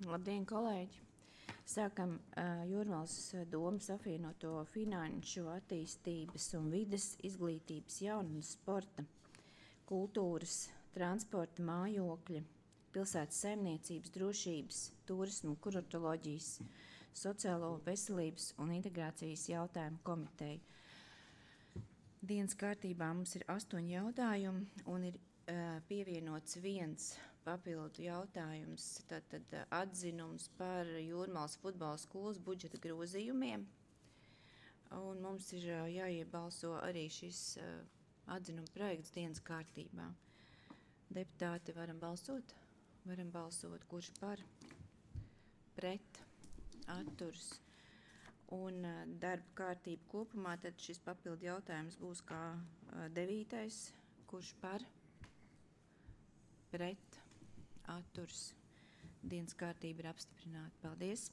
Labdien, kolēģi! Sākam Jūrmalas domas apvienoto finanšu, attīstības un vides, izglītības, jaunas, sporta, kultūras, transporta, mājokļa, pilsētas saimniecības, drošības, turismu, kuratoloģijas, sociālo veselības un integrācijas jautājumu komiteju. Dienas kārtībā mums ir 8 jautājumi un ir pievienots viens papildu jautājums, tātad atzinums par Jūrmalas futbola skolas budžeta grozījumiem. Un mums ir jāiebalso arī šis atzinuma projekts dienas kārtībā. Deputāti, varam balsot? Varam balsot, kurš par, pret, atturs. Un darba kārtība kopumā, tad šis papildu jautājums būs kā 9. Kurš par, pret, atturs. Dienas kārtība ir apstiprināta. Paldies.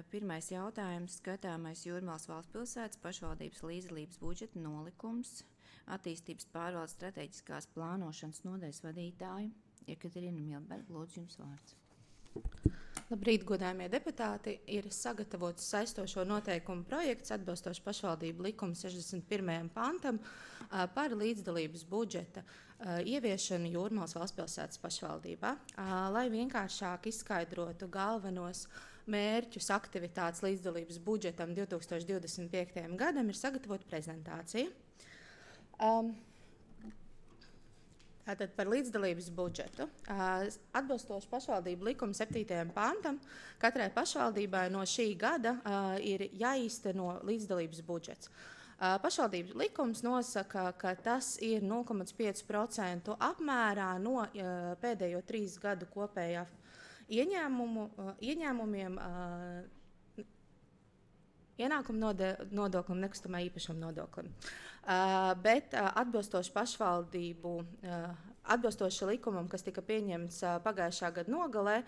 Pirmais jautājums. Skatāmais Jūrmalas valstspilsētas pašvaldības līdzdalības budžeta nolikums. Attīstības pārvaldes strateģiskās plānošanas nodaļas vadītāju Jekaterina Milberga. Lūdzu, jums vārds. Labrīt, godājumie deputāti. Ir sagatavots saistošo noteikumu projekts atbilstoši pašvaldību likuma 61. pantam par līdzdalības budžeta ieviešanu Jūrmalas valstspilsētas pašvaldībā. Lai vienkāršāk izskaidrotu galvenos mērķus aktivitātes līdzdalības budžetam 2025. gadam, ir sagatavota prezentācija. Tātad par līdzdalības budžetu. Atbilstoši pašvaldību likuma 7. pantam, katrai pašvaldībai no šī gada ir jāīsteno līdzdalības budžets. Pašvaldības likums nosaka, ka tas ir 0,5% apmērā no pēdējo 3 gadu kopējā ieņēmumiem, ienākumu nodoklim, nekustamā īpašuma nodoklim. Bet atbilstoši likumam, kas tika pieņemts pagājušā gada nogalē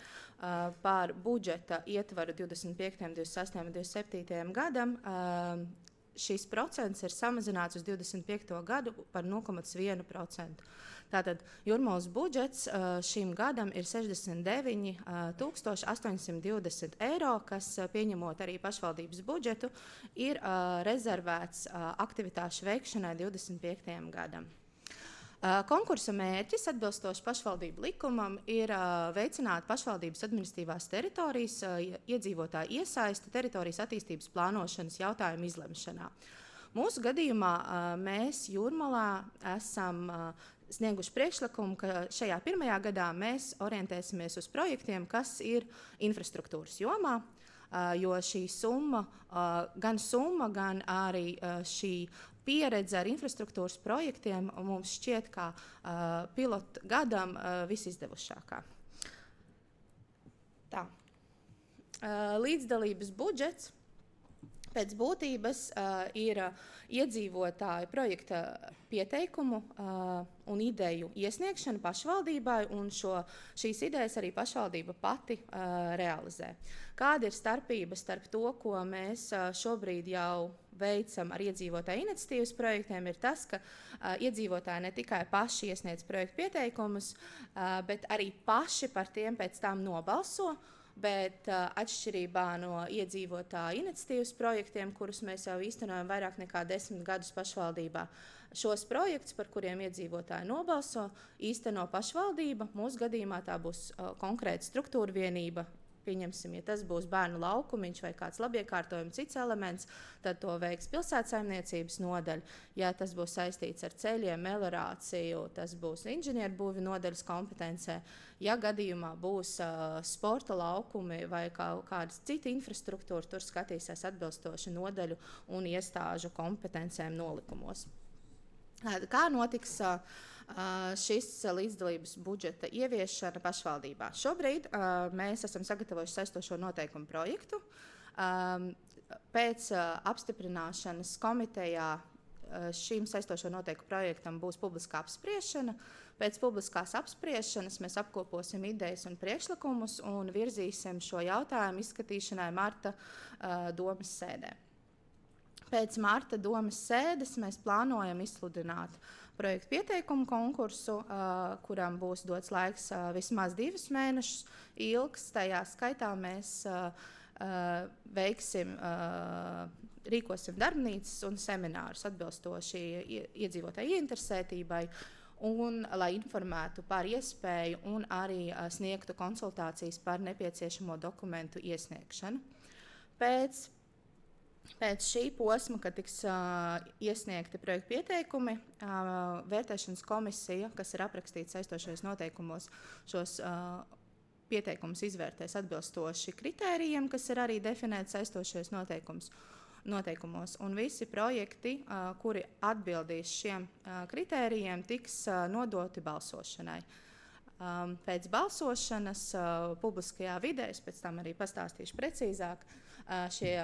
par budžeta ietvaru 25., 26. un 27. gadam, šis procents ir samazināts uz 25. gadu par 0,1%. Tātad Jūrmalas budžets šim gadam ir 69 820 eiro, kas, pieņemot arī pašvaldības budžetu, ir rezervēts aktivitāšu veikšanai 25. gadam. Konkursa mērķis atbilstoši pašvaldību likumam ir veicināt pašvaldības administratīvās teritorijas iedzīvotāju iesaisti teritorijas attīstības plānošanas jautājumu izlemšanā. Mūsu gadījumā mēs Jūrmalā esam snieguši priekšlikumu, ka šajā pirmajā gadā mēs orientēsimies uz projektiem, kas ir infrastruktūras jomā, jo šī summa, gan arī šī pieredze ar infrastruktūras projektiem mums šķiet kā pilotu gadam visizdevušākā. Tā. Līdzdalības budžets pēc būtības ir iedzīvotāju projekta pieteikumu un ideju iesniegšana pašvaldībai, un šīs idejas arī pašvaldība pati realizē. Kāda ir starpība starp to, ko mēs šobrīd jau veicam ar iedzīvotāju iniciatīvas projektiem, ir tas, ka iedzīvotāji ne tikai paši iesniedz projektu pieteikumus, bet arī paši par tiem pēc tam nobalso, bet atšķirībā no iedzīvotāju iniciatīvas projektiem, kurus mēs jau īstenojam vairāk nekā 10 gadus pašvaldībā, šos projektus, par kuriem iedzīvotāji nobalso, īsteno pašvaldība. Mūsu gadījumā tā būs konkrēta struktūra vienība. Pieņemsim, ja tas būs bērnu laukumiņš vai kāds labiekārtojuma cits elements, tad to veiks pilsētsaimniecības nodaļa. Ja tas būs saistīts ar ceļiem, meliorāciju, tas būs inženierbūvi nodaļas kompetencē. Ja gadījumā būs sporta laukumi vai kādas cita infrastruktūra, tur skatīsies atbilstoši nodaļu un iestāžu kompetencēm nolikumos. Kā notiks šis līdzdalības budžeta ieviešana pašvaldībā? Šobrīd mēs esam sagatavojuši saistošo noteikumu projektu. Pēc apstiprināšanas komitejā šīm saistošo noteikumu projektam būs publiskā apspriešana. Pēc publiskās apspriešanas mēs apkoposim idejas un priekšlikumus un virzīsim šo jautājumu izskatīšanai marta domas sēdē. Pēc marta domas sēdes mēs plānojam izsludināt projektu pieteikumu konkursu, kuram būs dots laiks vismaz 2 mēnešus ilgs. Tajā skaitā mēs rīkosim darbnīcas un seminārus atbilstoši iedzīvotāju ieinteresētībai, un lai informētu par iespēju un arī sniegtu konsultācijas par nepieciešamo dokumentu iesniegšanu. Pēc šī posma, kad tiks iesniegti projektu pieteikumi, vērtēšanas komisija, kas ir aprakstīta saistošajos noteikumos, šos pieteikumus izvērtēs atbilstoši kritērijiem, kas ir arī definēti saistošajos noteikumos. Un visi projekti, kuri atbildīs šiem kritērijiem, tiks nodoti balsošanai. Pēc balsošanas publiskajā vidē, es pēc tam arī pastāstīšu precīzāk, šie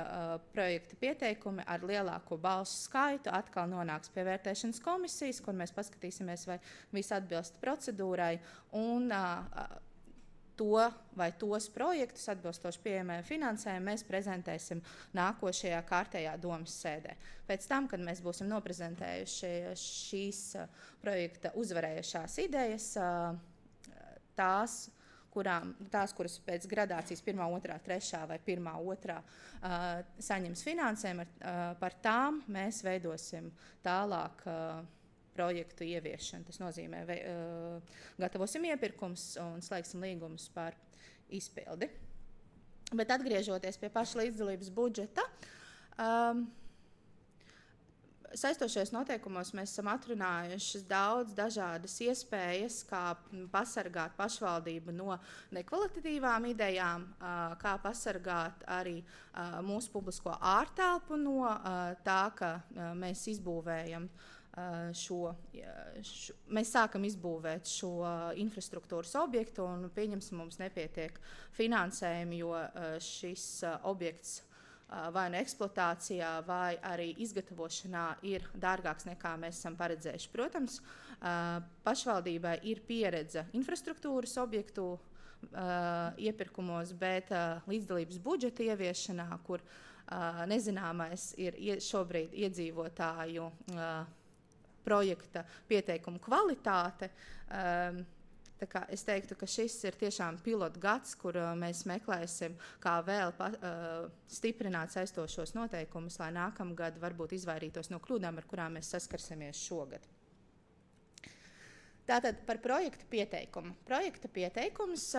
projekta pieteikumi ar lielāko balsu skaitu atkal nonāks pie vērtēšanas komisijas, kur mēs paskatīsimies, vai viss atbilst procedūrai, un tos projektus atbilstoši pieejamajam finansējumam mēs prezentēsim nākošajā kārtējā domas sēdē. Pēc tam, kad mēs būsim noprezentējuši šīs projekta uzvarējušās idejas, tās, kuras pēc gradācijas 1., 2., 3. vai 1., 2. saņems finansējumu, par tām mēs veidosim tālāk projektu ieviešanu. Tas nozīmē, gatavosim iepirkums un slēgsim līgumus par izpildi. Bet atgriežoties pie paša līdzdalības budžeta, saistošajos noteikumos mēs esam atrunājuši daudz dažādas iespējas, kā pasargāt pašvaldību no nekvalitatīvām idejām, kā pasargāt arī mūsu publisko ārtelpu no tā, ka mēs izbūvējam mēs sākam izbūvēt šo infrastruktūras objektu un pieņemsim, mums nepietiek finansējumi, jo šis objekts vai no eksploatācijā, vai arī izgatavošanā ir dārgāks nekā mēs esam paredzējuši. Protams, pašvaldībai ir pieredze infrastruktūras objektu iepirkumos, bet līdzdalības budžeta ieviešanā, kur nezināmais ir šobrīd iedzīvotāju projekta pieteikumu kvalitāte. Tā kā es teiktu, ka šis ir tiešām pilotgads, kur mēs meklēsim, kā vēl stiprināt saistošos noteikumus, lai nākamgad varbūt izvairītos no kļūdām, ar kurām mēs saskarsimies šogad. Tātad par projektu pieteikumu. Projekta pieteikums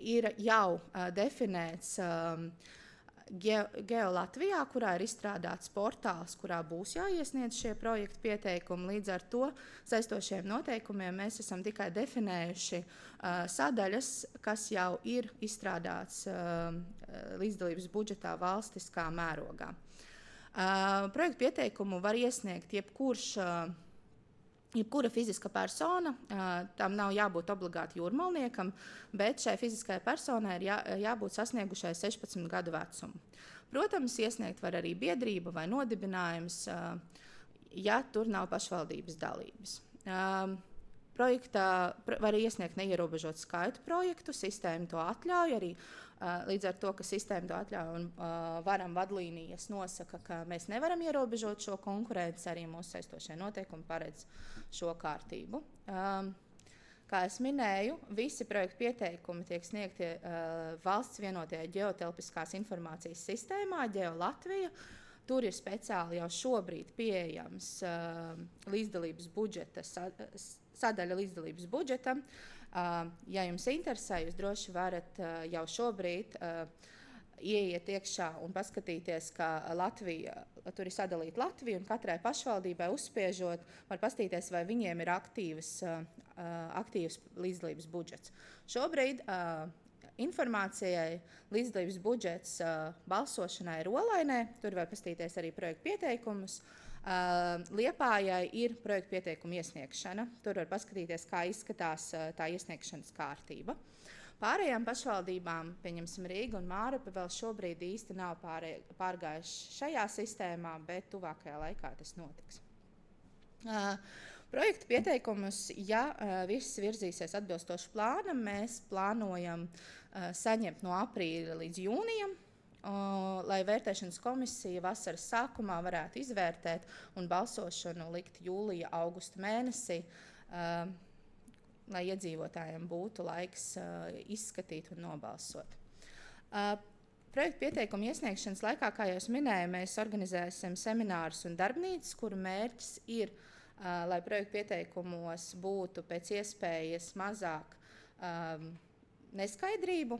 ir jau definēts GeoLatvijā, kurā ir izstrādāts portāls, kurā būs jāiesniedz šie projektu pieteikumi. Līdz ar to saistošiem noteikumiem mēs esam tikai definējuši sadaļas, kas jau ir izstrādāts līdzdalības budžetā valstiskā mērogā. Projektu pieteikumu var iesniegt jebkura fiziska persona, tam nav jābūt obligāti jūrmalniekam, bet šai fiziskajai personai ir jābūt sasniegušai 16 gadu vecumu. Protams, iesniegt var arī biedrība vai nodibinājums, ja tur nav pašvaldības dalības. Projektā var iesniegt neierobežot skaitu projektu, sistēma to atļauj arī. Līdz ar to, ka sistēma to atļauj un varam vadlīnijas nosaka, ka mēs nevaram ierobežot šo konkurenci, arī mūsu saistošie noteikumi paredz šo kārtību. Kā es minēju, visi projektu pieteikumi tiek sniegti valsts vienotajā ģeotelpiskās informācijas sistēmā, GeoLatvija. Tur ir speciāli jau šobrīd pieejams līdzdalības budžeta sadaļa līdzdalības budžetam. Ja jums interesē, jūs droši varat jau šobrīd ieiet iekšā un paskatīties, ka tur ir sadalīta Latvija, un katrai pašvaldībai uzspiežot, var paskatīties, vai viņiem ir aktīvs līdzdalības budžets. Šobrīd informācijai līdzdalības budžets balsošanai ir Olainē, tur var paskatīties arī projektu pieteikumus. Liepājai ir projektu pieteikumu iesniegšana. Tur var paskatīties, kā izskatās tā iesniegšanas kārtība. Pārējām pašvaldībām, pieņemsim Rīga un Mārupe, vēl šobrīd īsti nav pārgājuši šajā sistēmā, bet tuvākajā laikā tas notiks. Projektu pieteikumus, ja viss virzīsies atbilstoši plānam, mēs plānojam saņemt no aprīļa līdz jūnijam. lai vērtēšanas komisija vasaras sākumā varētu izvērtēt un balsošanu likt jūlija, augusta mēnesī, lai iedzīvotājiem būtu laiks izskatīt un nobalsot. Projektu pieteikumu iesniegšanas laikā, kā jau es minēju, mēs organizēsim seminārus un darbnīcas, kuru mērķis ir, lai projektu pieteikumos būtu pēc iespējas mazāk neskaidrību.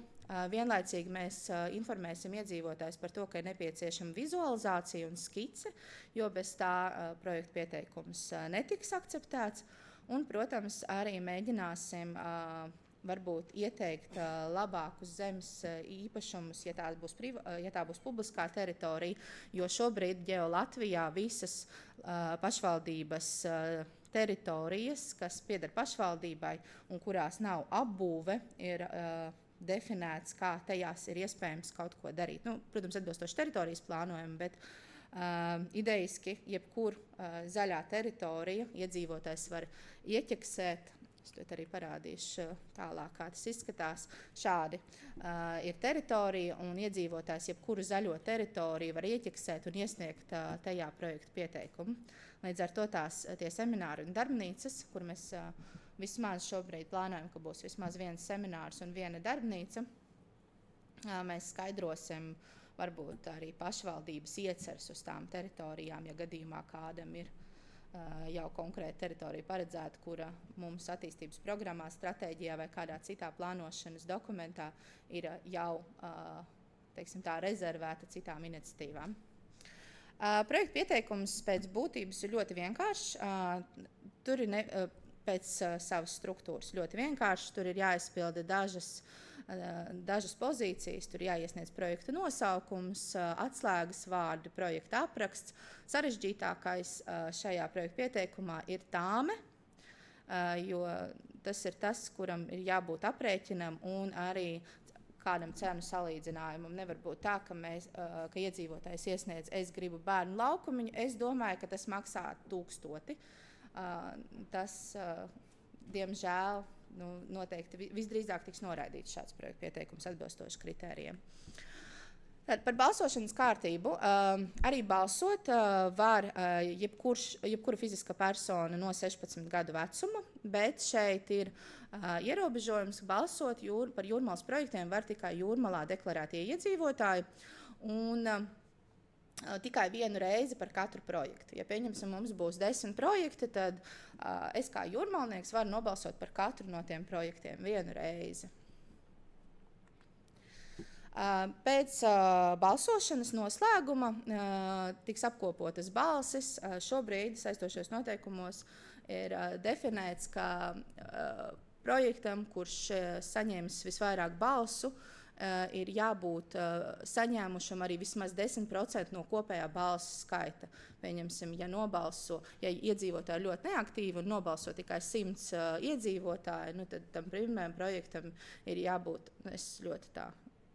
Vienlaicīgi mēs informēsim iedzīvotājus par to, ka ir nepieciešama vizualizācija un skice, jo bez tā projektu pieteikums netiks akceptēts. Un, protams, arī mēģināsim varbūt ieteikt labākus zemes īpašumus, ja tā būs publiskā teritorija, jo šobrīd Latvijā visas pašvaldības teritorijas, kas pieder pašvaldībai un kurās nav apbūve, ir definēts, kā tajās ir iespējams kaut ko darīt. Protams, atbilstoši teritorijas plānojumu, bet idejiski jebkur zaļā teritorija iedzīvotājs var ieķeksēt. Es to arī parādīšu tālāk, kā tas izskatās. Šādi ir teritorija, un iedzīvotājs jebkuru zaļo teritoriju var ieķeksēt un iesniegt tajā projektu pieteikumu. Līdz ar to tie semināri un darbnīcas, kur mēs vismaz šobrīd plānojam, ka būs vismaz viens seminārs un viena darbnīca, mēs skaidrosim varbūt arī pašvaldības ieceres uz tām teritorijām, ja gadījumā kādam ir jau konkrēta teritorija paredzēta, kura mums attīstības programmā, stratēģijā vai kādā citā plānošanas dokumentā ir jau teiksim tā, rezervēta citām iniciatīvām. Projektu pieteikums pēc būtības ir ļoti vienkāršs. Tur ir pēc savas struktūras ļoti vienkāršs. Tur ir jāizpilda dažas pozīcijas, tur jāiesniedz projekta nosaukums, atslēgas vārdi, projekta apraksts. Sarežģītākais šajā projekta pieteikumā ir tāme, jo tas ir tas, kuram ir jābūt aprēķinam un arī kādam cenu salīdzinājumam. Nevar būt tā, ka iedzīvotājs iesniedz, es gribu bērnu laukumiņu, es domāju, ka tas maksā 1000. Tas, diemžēl, noteikti visdrīzāk tiks noraidīts šāds projekta pieteikums atbilstoši kritērijiem. Tad par balsošanas kārtību. Arī balsot var jebkura fiziska persona no 16 gadu vecuma, bet šeit ir ierobežojums balsot par Jūrmalas projektiem var tikai Jūrmalā deklarētie iedzīvotāji un tikai vienu reizi par katru projektu. Ja pieņemsim, mums būs 10 projekti, tad es kā jūrmalnieks varu nobalsot par katru no tiem projektiem vienu reizi. Pēc balsošanas noslēguma tiks apkopotas balsis. Šobrīd saistošos noteikumos ir definēts, ka projektam, kurš saņems visvairāk balsu, ir jābūt saņēmušam arī vismaz 10% no kopējā balsu skaita. Pieņemsim, ja iedzīvotāji ļoti neaktīvi un nobalso tikai 100 iedzīvotāji, tad tam pirmajam projektam ir jābūt,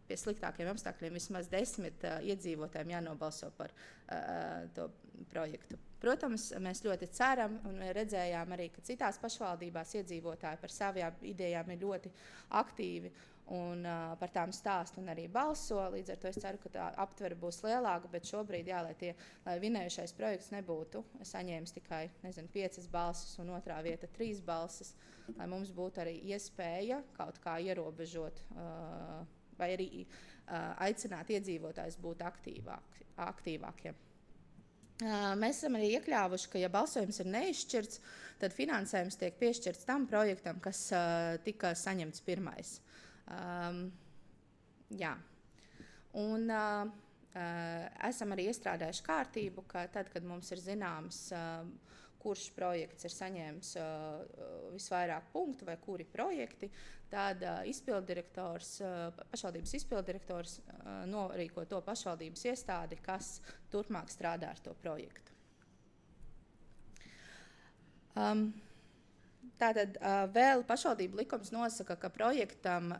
pie sliktākiem apstākļiem vismaz 10 iedzīvotājiem jānobalso par to projektu. Protams, mēs ļoti ceram un redzējām arī, ka citās pašvaldībās iedzīvotāji par savām idejām ir ļoti aktīvi un par tām stāst un arī balso. Līdz ar to es ceru, ka tā aptvere būs lielāka, bet šobrīd, lai vinējušais projekts nebūtu saņēmis tikai 5 balsis un otrā vieta 3 balsis, lai mums būtu arī iespēja kaut kā ierobežot vai arī aicināt iedzīvotājus būt aktīvākiem. Mēs esam arī iekļāvuši, ka ja balsojums ir neizšķirts, tad finansējums tiek piešķirts tam projektam, kas tika saņemts pirmais. Un esam arī iestrādājuši kārtību, ka tad, kad mums ir zināms, kurš projekts ir saņēmis visvairāk punktu vai kuri projekti, tad pašvaldības izpilddirektors norīko to pašvaldības iestādi, kas turpmāk strādā ar to projektu. Tātad vēl pašvaldību likums nosaka, ka projektam,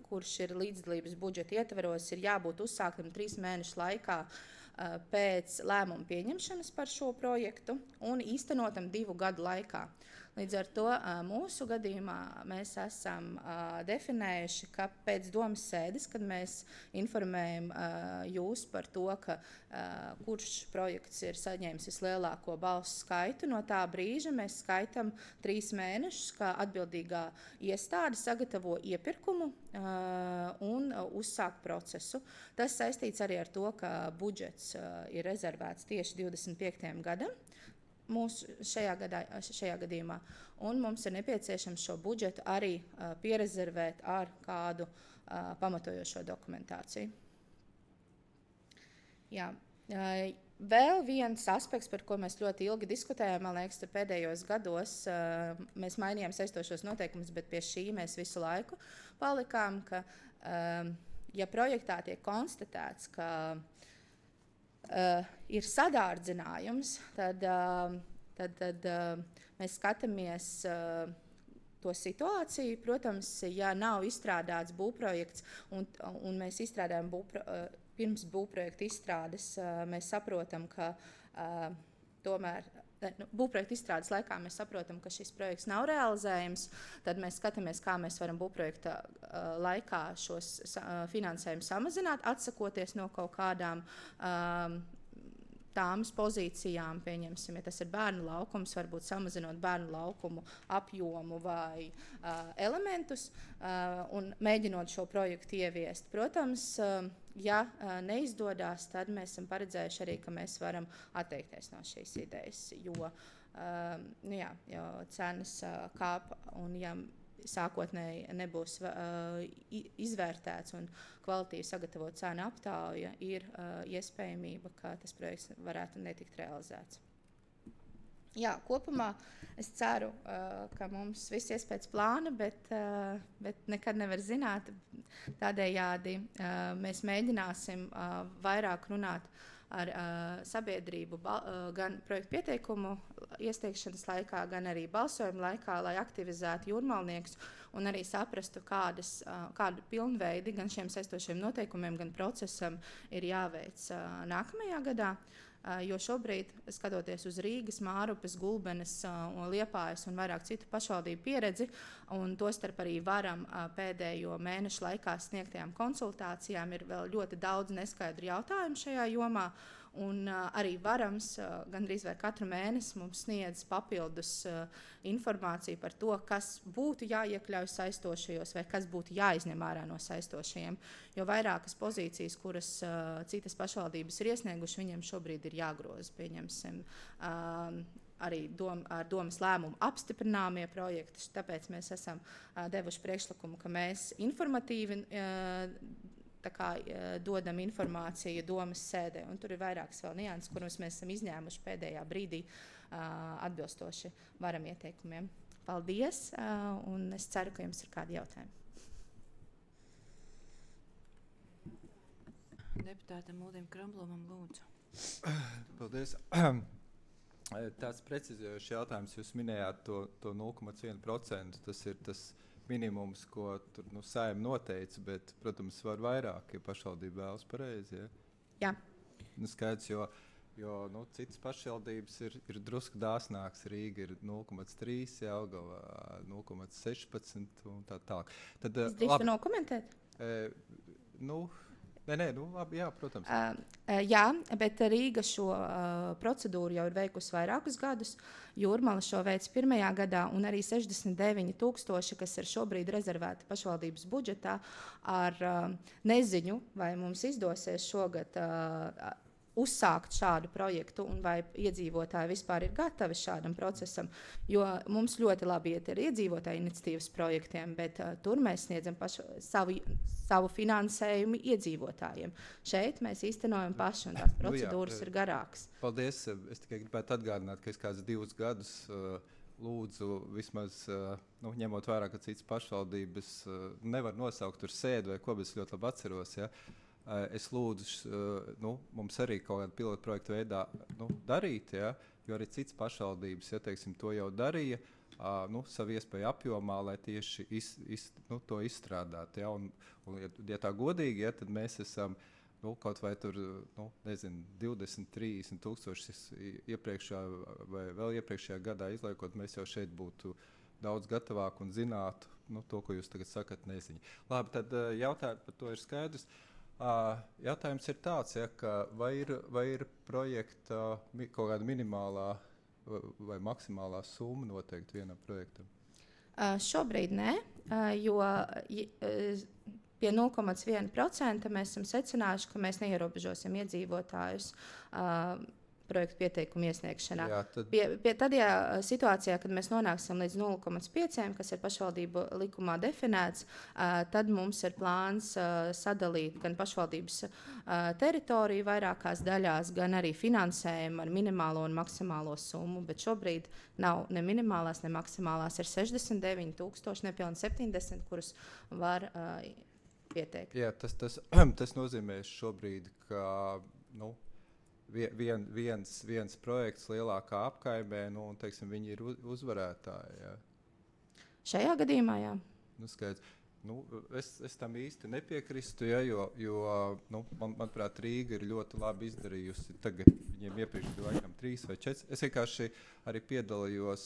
kurš ir līdzdalības budžeta ietveros, ir jābūt uzsāktam 3 mēnešu laikā pēc lēmuma pieņemšanas par šo projektu un īstenotam 2 gadu laikā. Līdz ar to mūsu gadījumā mēs esam definējuši, ka pēc domas sēdes, kad mēs informējam jūs par to, ka kurš projekts ir saņēmis vislielāko balsu skaitu, no tā brīža mēs skaitam 3 mēnešus, kā atbildīgā iestāde sagatavo iepirkumu un uzsāk procesu. Tas saistīts arī ar to, ka budžets ir rezervēts tieši 25. gadam. Mūsu šajā gadījumā, un mums ir nepieciešams šo budžetu arī pierezervēt ar kādu pamatojošo dokumentāciju. Jā. Vēl viens aspekts, par ko mēs ļoti ilgi diskutējām, man liekas, pēdējos gados mēs mainījām saistošos noteikumus, bet pie šī mēs visu laiku palikām, ka, ja projektā tiek konstatēts, ka ir sadārdzinājums, tad mēs skatāmies to situāciju. Protams, ja nav izstrādāts būvprojekts un mēs izstrādājam pirms būvprojekta izstrādes, mēs saprotam, ka tomēr būvprojekta izstrādes laikā mēs saprotam, ka šis projekts nav realizējams, tad mēs skatāmies, kā mēs varam būvprojekta laikā šos finansējumus samazināt, atsakoties no kaut kādām tāmas pozīcijām, pieņemsim, ja tas ir bērnu laukums, varbūt samazinot bērnu laukumu apjomu vai elementus un mēģinot šo projektu ieviest. Protams, ja neizdodas, tad mēs esam paredzējuši arī, ka mēs varam atteikties no šīs idejas, jo cenas kāp un ja sākotnēji nebūs izvērtēts un kvalitīvi sagatavot cenu aptauja, ir iespējamība, ka tas projekts varētu netikt realizēts. Jā, kopumā es ceru, ka mums viss ies pēc plāna, bet nekad nevar zināt. Tādējādi mēs mēģināsim vairāk runāt ar sabiedrību gan projektu pieteikumu iesniegšanas laikā, gan arī balsojuma laikā, lai aktivizētu jūrmalniekus un arī saprastu, kādu pilnveidi gan šiem saistošiem noteikumiem, gan procesam ir jāveic nākamajā gadā. Jo šobrīd, skatoties uz Rīgas, Mārupes, Gulbenes, Liepājas un vairāk citu pašvaldību pieredzi, un tostarp arī Varam pēdējo mēnešu laikā sniegtajām konsultācijām, ir vēl ļoti daudz neskaidru jautājumu šajā jomā. Un arī Varams gandrīz vai katru mēnesi mums sniedz papildus informāciju par to, kas būtu jāiekļauj saistošajos vai kas būtu jāizņem ārā no saistošajiem. Jo vairākas pozīcijas, kuras citas pašvaldības ir iesnieguši, viņiem šobrīd ir jāgroza, pieņemsim, arī ar domas lēmumu apstiprināmie projekti. Tāpēc mēs esam devuši priekšlikumu, ka mēs informatīvi dodam informāciju domas sēdē, un tur ir vairākas vēl nianses, kurus mēs esam izņēmuši pēdējā brīdī atbilstoši Varam ieteikumiem. Paldies, un es ceru, ka jums ir kādi jautājumi. Deputātam Uldim Kramblomam lūdzu. Paldies. Tāds precizējošs jautājums. Jūs minējāt to 0,1%. Tas ir tas minimums, ko tur Saeima noteica, bet, protams, var vairāk, ja pašvaldība vēlas pareizi. Ja? Jā. Skaidrs, jo citas pašvaldības ir drusku dāsnāks. Rīga ir 0,3, Jelgava 0,16 un tā tālāk. Es drīkstu nokomentēt? Labi, jā, protams. Jā, bet Rīga šo procedūru jau ir veikusi vairākus gadus. Jūrmala šo veids pirmajā gadā, un arī 69,000, kas ir šobrīd rezervēti pašvaldības budžetā, ar neziņu, vai mums izdosies šogad uzsākt šādu projektu un vai iedzīvotāji vispār ir gatavi šādam procesam, jo mums ļoti labi iet ar iedzīvotāju iniciatīvas projektiem, bet tur mēs sniedzam savu finansējumu iedzīvotājiem. Šeit mēs īstenojam paši, un tās procedūras ir garākas. Paldies. Es tikai gribētu atgādināt, ka es kādus 2 gadus lūdzu vismaz, ņemot vērā, ka citas pašvaldības nevar nosaukt tur sēdu vai ko, bet es ļoti labi atceros, ja? Es lūdzu, mums arī kaut kādu pilotu projektu veidā darīt, ja? Jo arī citas pašvaldības, ja teiksim, to jau darīja, savu iespēju apjomā, lai tieši to izstrādātu. Ja? Un, ja tā godīgi, ja, tad mēs esam kaut vai tur, 20, 30 tūkstoši iepriekšējā vai vēl iepriekšējā gadā izliekot, mēs jau šeit būtu daudz gatavāk un zinātu to, ko jūs tagad sakat, neziņa. Labi, tad jautājums par to ir skaidrs. Jautājums ir tāds, ka vai ir projekta kaut kāda minimālā vai maksimālā summa noteikti vienam projektam? Šobrīd nē, jo pie 0,1% mēs esam secinājuši, ka mēs neierobežosim iedzīvotājus projektu pieteikumu iesniegšanā. Jā, Tad, situācijā, kad mēs nonāksim līdz 0,5%, kas ir pašvaldību likumā definēts, tad mums ir plāns sadalīt gan pašvaldības teritoriju vairākās daļās, gan arī finansējumu ar minimālo un maksimālo summu. Bet šobrīd nav ne minimālās, ne maksimālās. Ir 69,000, nepilni 70, kurus var pieteikt. Jā, tas nozīmē šobrīd, ka viens projekts lielākā apkaimē, un teiksim, viņi ir uzvarētāji. Jā. Šajā gadījumā, jā. Skaidrs. Es tam īsti nepiekrīstu, jo manuprāt, Rīga ir ļoti labi izdarījusi. Tagad viņiem iepriekš bija laikam 3 vai 4. Es vienkārši arī piedalījos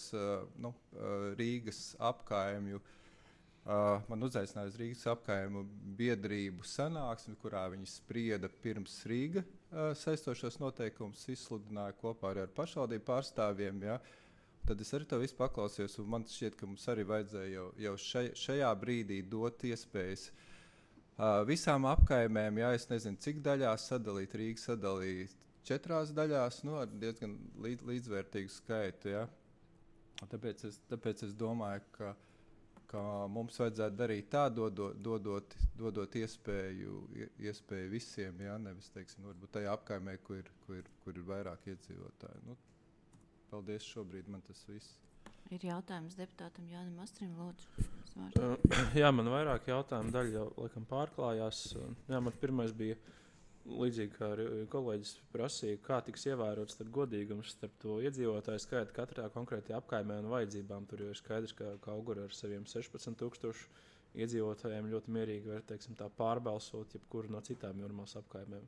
Rīgas apkaimju. Man uzaicināja uz Rīgas apkaimju biedrību sanāksmi, kurā viņi sprieda pirms Rīga saistošos noteikumus, izsludināja kopā ar pašvaldību pārstāvjiem. Ja. Tad es arī to visu paklausījos, un man šķiet, ka mums arī vajadzēja jau šajā brīdī dot iespējas visām apkaimēm, es nezinu, cik daļās sadalīt, Rīga sadalīt 4 daļās, ar diezgan līdzvērtīgu skaitu. Ja. Tāpēc es domāju, ka mums vajadzētu darīt tā, dodot iespēju visiem, nevis, teiksim, varbūt tajā apkaimē, kur ir vairāk iedzīvotāji. Paldies, šobrīd man tas viss. Ir jautājums deputātam Jānim Astrim, lūdzu. Jā, man vairāk jautājumu daļa jau laikam pārklājās. Jā, man pirmais bija līdzīgi, kā kolēģis prasīja, kā tiks ievērots godīgums starp to iedzīvotāju skaitu katrā konkrētajā apkaimē un vajadzībām. Tur jau ir skaidrs, ka Kaugura ar saviem 16,000 iedzīvotājiem ļoti mierīgi var, teiksim, tā pārbalsot jebkuru no citām Jūrmālas apkaimēm.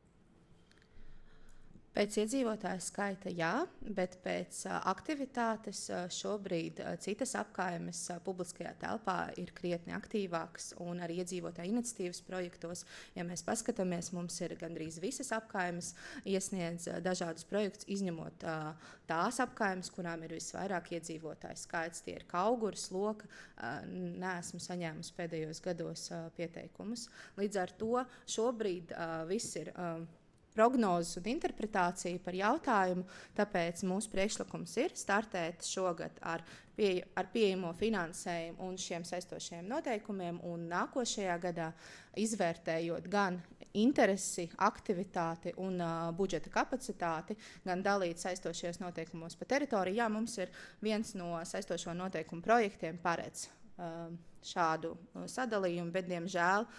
Pēc iedzīvotāju skaita jā, bet pēc aktivitātes šobrīd citas apkaimes publiskajā telpā ir krietni aktīvākas un arī iedzīvotāju iniciatīvas projektos. Ja mēs paskatāmies, mums ir gandrīz visas apkaimes iesniedz dažādus projektus, izņemot tās apkaimes, kurām ir visvairāk iedzīvotāju skaits. Tie ir Kauguras, Loka. Neesmu saņēmusi pēdējos gados pieteikumus. Līdz ar to šobrīd viss ir prognozes un interpretācija par jautājumu, tāpēc mūsu priekšlikums ir startēt šogad ar pieejamo finansējumu un šiem saistošajiem noteikumiem, un nākošajā gadā izvērtējot gan interesi, aktivitāti un budžeta kapacitāti, gan dalīt saistošajos noteikumos pa teritoriju. Jā, mums ir viens no saistošo noteikumu projektiem paredz šādu sadalījumu, bet, diemžēl,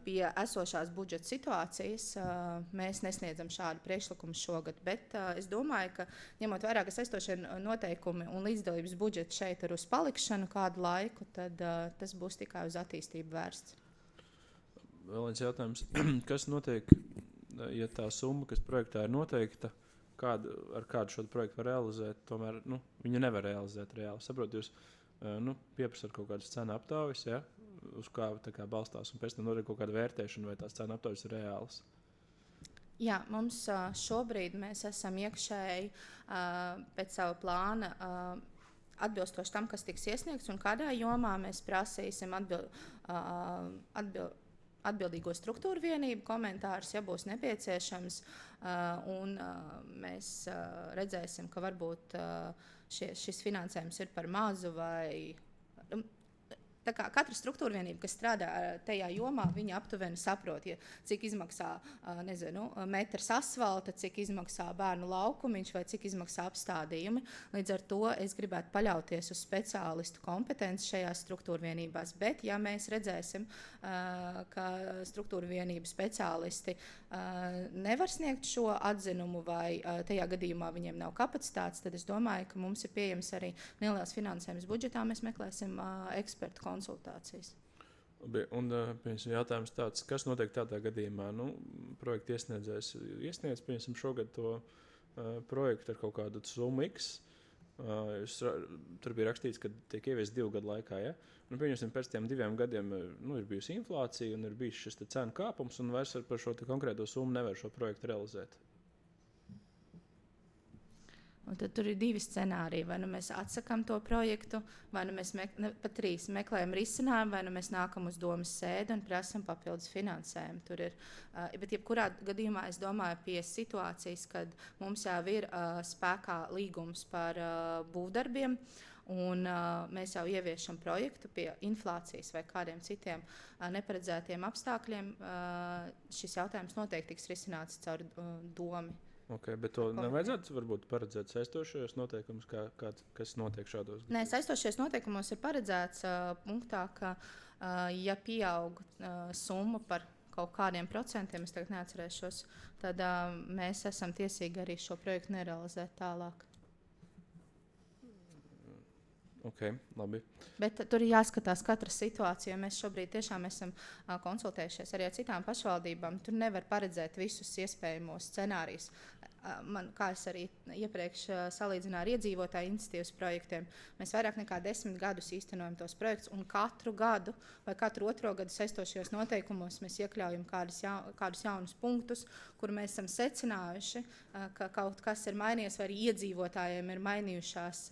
pie esošās budžeta situācijas mēs nesniedzam šādu priekšlikumu šogad, bet es domāju, ka ņemot vērā, ka saistošie noteikumi un līdzdalības budžets šeit ir uz palikšanu kādu laiku, tad tas būs tikai uz attīstību vērsts. Vēl viens jautājums. Kas notiek, ja tā summa, kas projektā ir noteikta, ar kādu šo projektu var realizēt, tomēr viņu nevar realizēt reāli? Saprot, jūs pieprasat kaut kādas cenu aptaujas, ja? Uz kā balstās, un pēc tam notiek kaut kāda vērtēšana, vai tās cenu aptaujas ir reālas? Jā, mums šobrīd mēs esam iekšēji pēc sava plāna atbilstoši tam, kas tiks iesniegts, un kādā jomā mēs prasīsim atbildīgo struktūru vienību komentārus, ja būs nepieciešams, un mēs redzēsim, ka varbūt šis finansējums ir par mazu vai... Tā kā katra struktūra vienība, kas strādā tajā jomā, viņa aptuveni saprot, cik izmaksā metrs asfalta, cik izmaksā bērnu laukumiņš vai cik izmaksā apstādījumi. Līdz ar to es gribētu paļauties uz speciālistu kompetenci šajās struktūra vienībās. Bet, ja mēs redzēsim, ka struktūra vienību speciālisti nevar sniegt šo atzinumu vai tajā gadījumā viņiem nav kapacitātes, tad es domāju, ka mums ir pieejams arī neliels finansējums budžetā. Mēs meklēsim ekspertu konsultācijas. Un jautājums tāds, kas notiek tādā gadījumā? Projekta iesniedzējs iesniedz, piemēram, šogad to projektu ar kaut kādu summu X. Tur bija rakstīts, ka tiek ieviests 2 gadu laikā. Ja? Pieņemsim, pēc tiem 2 gadiem ir bijusi inflācija un ir bijis šis cenu kāpums, un vairs par šo konkrēto summu nevar šo projektu realizēt. Un tad tur ir 2 scenāriji. Vai nu mēs atsakām to projektu, vai nu mēs pat 3 meklējam risinājumu, vai nu mēs nākam uz domas sēdi un prasam papildus finansējumu. Tur ir, bet jebkurā gadījumā es domāju pie situācijas, kad mums jau ir spēkā līgums par būvdarbiem, un mēs jau ieviešam projektu pie inflācijas vai kādiem citiem neparedzētiem apstākļiem. Šis jautājums noteikti tiks risināts caur domu. Okay, bet to nevajadzētu varbūt paredzēt saistošajos noteikumus, kas notiek šādos gadījumos? Nē, saistošajos noteikumos ir paredzēts punktā, ka ja pieaug summa par kaut kādiem procentiem, es tagad neatcerēšos, tad mēs esam tiesīgi arī šo projektu nerealizēt tālāk. Okay, labi. Bet tur ir jāskatās katra situācija, jo mēs šobrīd tiešām esam konsultējušies arī ar citām pašvaldībām. Tur nevar paredzēt visus iespējamos scenārijus. Kā es arī iepriekš salīdzināju ar iedzīvotāju iniciatīvas projektiem, mēs vairāk nekā 10 gadus īstenojam tos projektus, un katru gadu vai katru 2. gadu saistošajos noteikumos mēs iekļaujam kādus jaunus punktus, kur mēs esam secinājuši, ka kaut kas ir mainījies, vai arī iedzīvotājiem ir mainījušās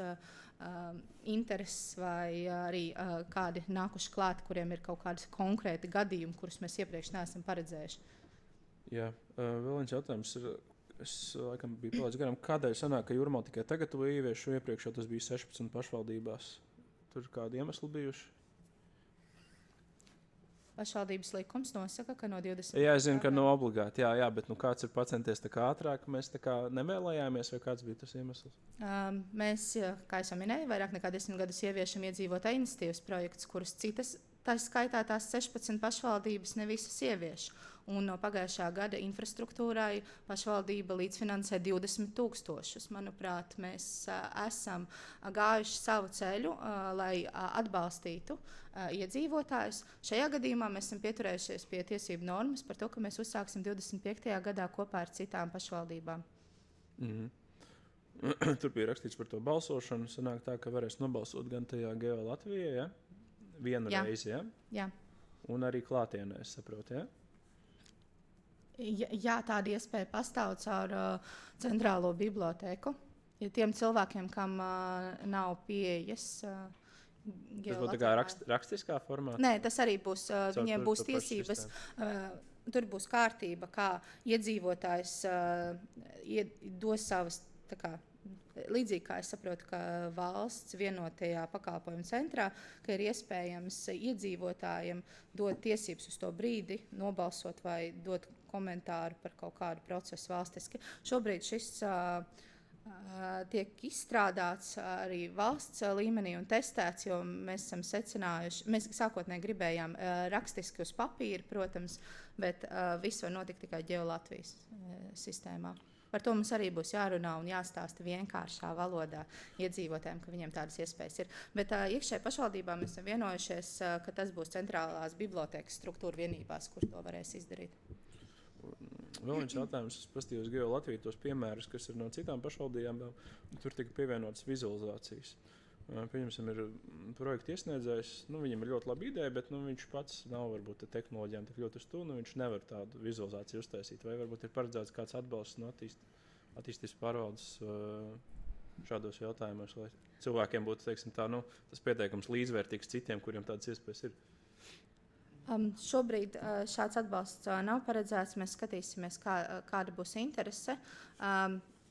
intereses, vai arī kādi nākuši klāt, kuriem ir kaut kādi konkrēti gadījumi, kurus mēs iepriekš neesam paredzējuši. Jā, vēl viens jautājums ir, es laikam biju palaidis garām, kādēļ sanāk, ka Jūrmāla tikai tagad to ieviešu, iepriekš jau tas bija 16 pašvaldībās? Tur kādi iemesli bijuši? Pašvaldības likums nosaka, ka no 20. Jā, es zinu, ka nav obligāti, jā, bet kāds ir pacenties tā kā ātrāk, mēs tā kā nevēlējāmies, vai kāds bija tas iemesls? Mēs, kā es jau minēju, vairāk nekā 10 gadus ieviešam iedzīvotāju iniciatīvas projektus, kurus citas, tā skaitā tās 16 pašvaldības ne visas ievieš. Un no pagājušā gada infrastruktūrai pašvaldība līdzfinansē 20 000. Manuprāt, mēs esam gājuši savu ceļu, lai atbalstītu iedzīvotājus. Šajā gadījumā mēs esam pieturējušies pie tiesību normas par to, ka mēs uzsāksim 25. gadā kopā ar citām pašvaldībām. Tur bija rakstīts par to balsošanu. Sanāk tā, ka varēs nobalsot gan tajā Geo Latvijā, ja? Vienu reizi, ja? Jā. Un arī klātienē, es saprotu, ja? Jā, tāda iespēja pastāv caur centrālo bibliotēku. Ja tiem cilvēkiem, kam nav pieejas Tas būtu tā kā rakstiskā formā? Nē, tas arī būs, viņiem būs tiesības, tur būs kārtība, kā iedzīvotājs dos savas, tā kā, līdzīgi kā es saprotu, ka valsts vienotajā pakalpojumu centrā, ka ir iespējams iedzīvotājiem dot tiesības uz to brīdi nobalsot vai dot komentāru par kaut kādu procesu valstiski. Šobrīd šis tiek izstrādāts arī valsts līmenī un testēts, jo mēs esam secinājuši, mēs sākotnēji gribējām rakstiski uz papīra, protams, bet viss var notikt tikai Geo Latvijas sistēmā. Par to mums arī būs jārunā un jāstāsta vienkāršā valodā iedzīvotājiem, ka viņiem tādas iespējas ir. Bet iekšēji pašvaldībā mēs esam vienojušies, ka tas būs centrālās bibliotēkas struktūra vienībās, kur to varēs izdarīt. Vēl viens jautājums, es paskatījos Geo Latviju tos piemērus, kas ir no citām pašvaldībām, tur tika pievienotas vizualizācijas. Pieņemsim, ir projekta iesniedzējs, viņam ir ļoti laba ideja, bet viņš pats nav varbūt tehnoloģijām tik ļoti uz to, viņš nevar tādu vizualizāciju uztaisīt. Vai varbūt ir paredzēts kāds atbalsts no attīstības pārvaldes šādos jautājumos, lai cilvēkiem būtu, teiksim, tā, tas pieteikums līdzvērtīgs citiem, kuriem tādas iespējas ir? Šobrīd šāds atbalsts nav paredzēts. Mēs skatīsimies, kāda būs interese.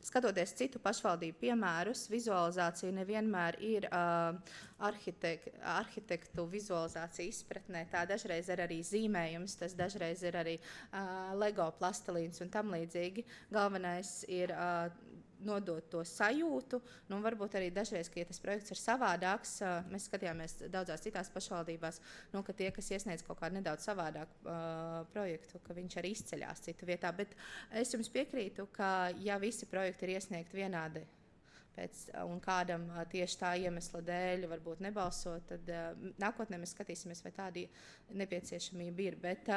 Skatoties citu pašvaldību piemērus, vizualizācija nevienmēr ir arhitektu vizualizācija izpratnē. Tā dažreiz ir arī zīmējums, tas dažreiz ir arī Lego plastelīns un tam līdzīgi. Galvenais ir nodot to sajūtu, varbūt arī dažreiz, ka ja tas projekts ir savādāks, mēs skatījāmies daudzās citās pašvaldībās, ka tie, kas iesniedz kaut kādu nedaudz savādāku projektu, ka viņš arī izceļās citu vietā, bet es jums piekrītu, ka ja visi projekti ir iesniegti vienādi un kādam tieši tā iemesla dēļ varbūt nebalsot, tad nākotnē mēs skatīsimies, vai tāda nepieciešamība ir. Bet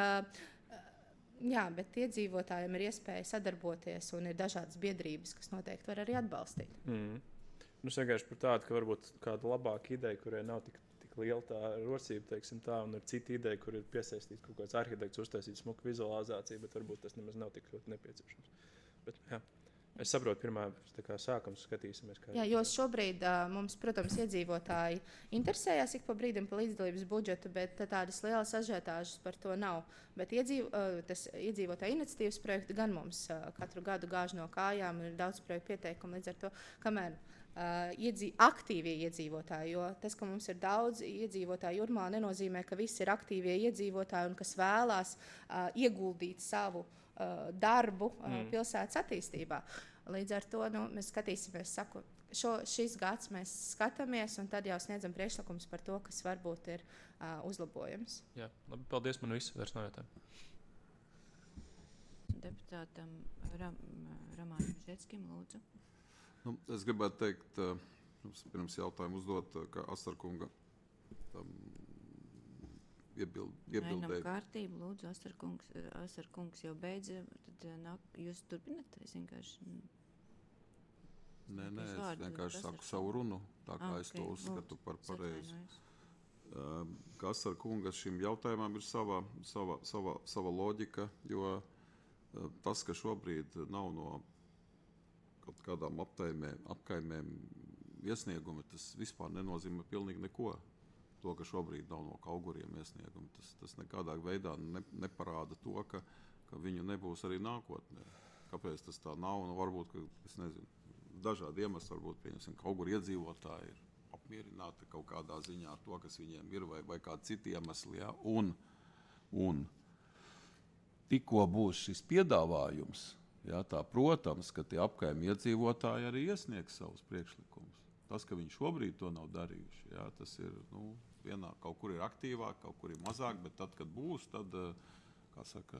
iedzīvotājiem ir iespēja sadarboties un ir dažādas biedrības, kas noteikti var arī atbalstīt. Es vienkārši par tādu, ka varbūt kāda labāka ideja, kurai nav tik liela tā rocība, teiksim tā, un ir cita ideja, kur ir piesaistīts kaut kāds arhitekts, uztaisīt smuku vizualizāciju, bet varbūt tas nemaz nav tik ļoti nepieciešams. Bet, jā. Es saprotu, pirmā sākam skatīsimies. Jo šobrīd mums, protams, iedzīvotāji interesējās ik pa brīdim par līdzdalības budžetu, bet tādas lielas ažiotāžas par to nav. Bet tas iedzīvotāju iniciatīvas projekti gan mums katru gadu gāž no kājām, ir daudz projektu pieteikumu, līdz ar to, kamēr aktīvie iedzīvotāji, jo tas, ka mums ir daudz iedzīvotāju Jūrmalā, nenozīmē, ka visi ir aktīvie iedzīvotāji un kas vēlās ieguldīt savu darbu pilsētas attīstībā. Līdz ar to mēs skatīsimies, šis gads mēs skatāmies un tad jau sniedzam priekšlikums par to, kas varbūt ir uzlabojams. Jā, labi, paldies, man viss vairs nav jautājumu. Deputātam Romanam Žetskim, lūdzu. Es gribētu teikt, pirms jautājumu uzdot, ka Asarkunga iebildēja. Ainam kārtību, lūdzu, Asarkungs jau beidza, tad jūs turpināt, es vienkārši... Nē, es vienkārši saku savu runu, tā kā es to uzskatu par pareizi. Ka Asarkunga šim jautājumam ir sava loģika, jo tas, ka šobrīd nav no kaut kādām apkaimēm iesniegumi, tas vispār nenozīmē pilnīgi neko. To, ka šobrīd nav no Kauguriem iesniegumi, tas nekādā veidā neparāda to, ka viņu nebūs arī nākotnē. Kāpēc tas tā nav? Varbūt, ka, es nezinu, dažādi iemesli, varbūt, pieņemsim, Kauguri iedzīvotāji ir apmierināti kaut kādā ziņā ar to, kas viņiem ir, vai kādi citi iemesli. Ja? Un tikko būs šis piedāvājums, jā, tā, protams, ka tie apkaimi iedzīvotāji arī iesniegs savus priekšlikumus. Tas, ka viņi šobrīd to nav darījuši, jā, tas ir, kaut kur ir aktīvāk, kaut kur ir mazāk, bet tad, kad būs, tad, kā saka,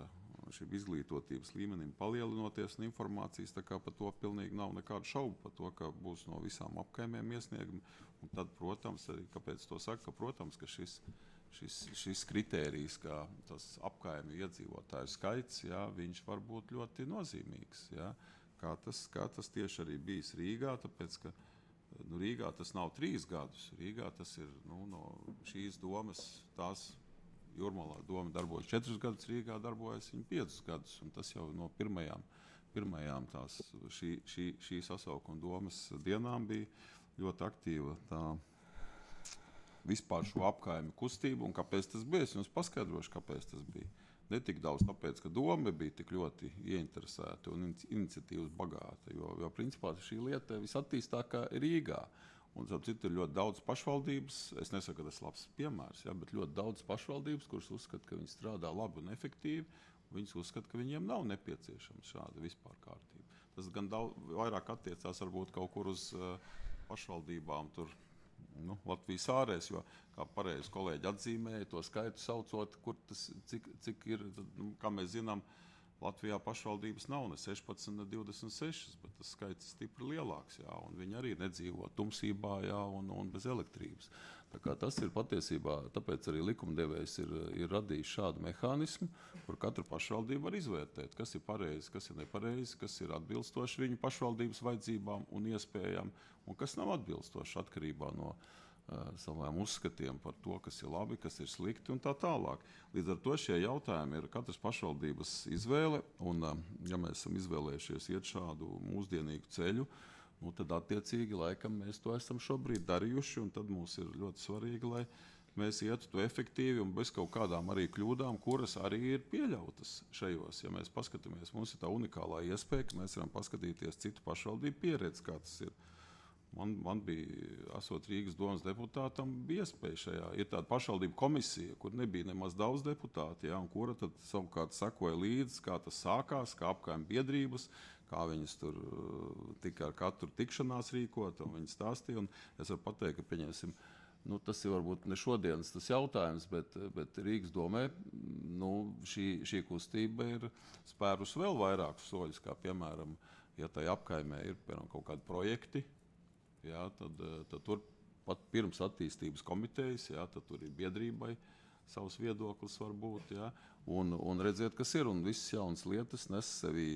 šim izglītotības līmenim palielinoties un informācijas, tā kā par to pilnīgi nav nekādu šaubu par to, ka būs no visām apkaimēm iesniegumi. Un tad, protams, arī, kāpēc to saka, protams, ka šis kritērijs, kā tas apkaimju iedzīvotāju skaits, jā, viņš var būt ļoti nozīmīgs. Jā. Kā tas tieši arī bijis Rīgā, tāpēc, ka Rīgā tas nav 3 gadus. Rīgā tas ir no šīs domas, tās Jūrmalā doma darbojas 4 gadus, Rīgā darbojas 5 gadus. Un tas jau no pirmajām tās šī sasaukuma domas dienām bija ļoti aktīva tā vispār šo apkaimi kustību, un kāpēc tas bija, es jums paskaidrošu, kāpēc tas bija. Ne tik daudz tāpēc, ka doma bija tik ļoti ieinteresēta un iniciatīvas bagāta, jo principā šī lieta visattīstākā ir Rīgā. Un citu ir ļoti daudz pašvaldības, es nesaku, ka tas ir labs piemērs, ja, bet ļoti daudz pašvaldības, kuras uzskata, ka viņi strādā labi un efektīvi, un viņas uzskata, ka viņiem nav nepieciešama šāda vispār kārtība. Tas gan vairāk attiecās varbūt kaut kur uz pašvaldībām tur, Latvijas ārēs, jo, kā pareizi kolēģi atzīmēja, to skaitu saucot, kur tas, cik ir, kā mēs zinām, Latvijā pašvaldības nav ne 16, ne 26, bet tas skaits ir stipri lielāks, jā, un viņi arī nedzīvo tumsībā, jā, un bez elektrības. Tā kā tas ir patiesībā, tāpēc arī likumdevējs ir radījis šādu mehānismu, kur katru pašvaldību var izvērtēt, kas ir pareizi, kas ir nepareizi, kas ir atbilstoši viņu pašvaldības vajadzībām un iespējām, un kas nav atbilstoši atkarībā no saviem uzskatiem par to, kas ir labi, kas ir slikti un tā tālāk. Līdz ar to šie jautājumi ir katras pašvaldības izvēle, un ja mēs esam izvēlējušies iet šādu mūsdienīgu ceļu, tad attiecīgi laikam mēs to esam šobrīd darījuši, un tad mums ir ļoti svarīgi, lai mēs ietu to efektīvi un bez kaut kādām arī kļūdām, kuras arī ir pieļautas šajos. Ja mēs paskatāmies, mums ir tā unikālā iespēja, ka mēs varam paskatīties citu pašvaldību pieredzi, kā tas ir. Man bija, esot Rīgas domas deputātam, bija iespēja šajā. Ir tāda pašvaldība komisija, kur nebija nemaz daudz deputāti, ja, un kura tad savukārt sekoja līdzi, kā tas sākās, kā apkaimju biedrības, kā viņas tur tika ar katru tikšanās rīkot, un viņi stāstīja. Un es varu pateikt, ka pieņemsim, tas ir varbūt ne šodienas tas jautājums, bet Rīgas domē šī kustība ir spērus vēl vairākus soļus, kā piemēram, ja tai apkaimē ir piemēram kaut kādi projekti, jā, tad tur pat pirms attīstības komitejas, jā, tad tur ir biedrībai savs viedoklis var būt, jā, un redziet, kas ir, un visas jaunas lietas nes sevi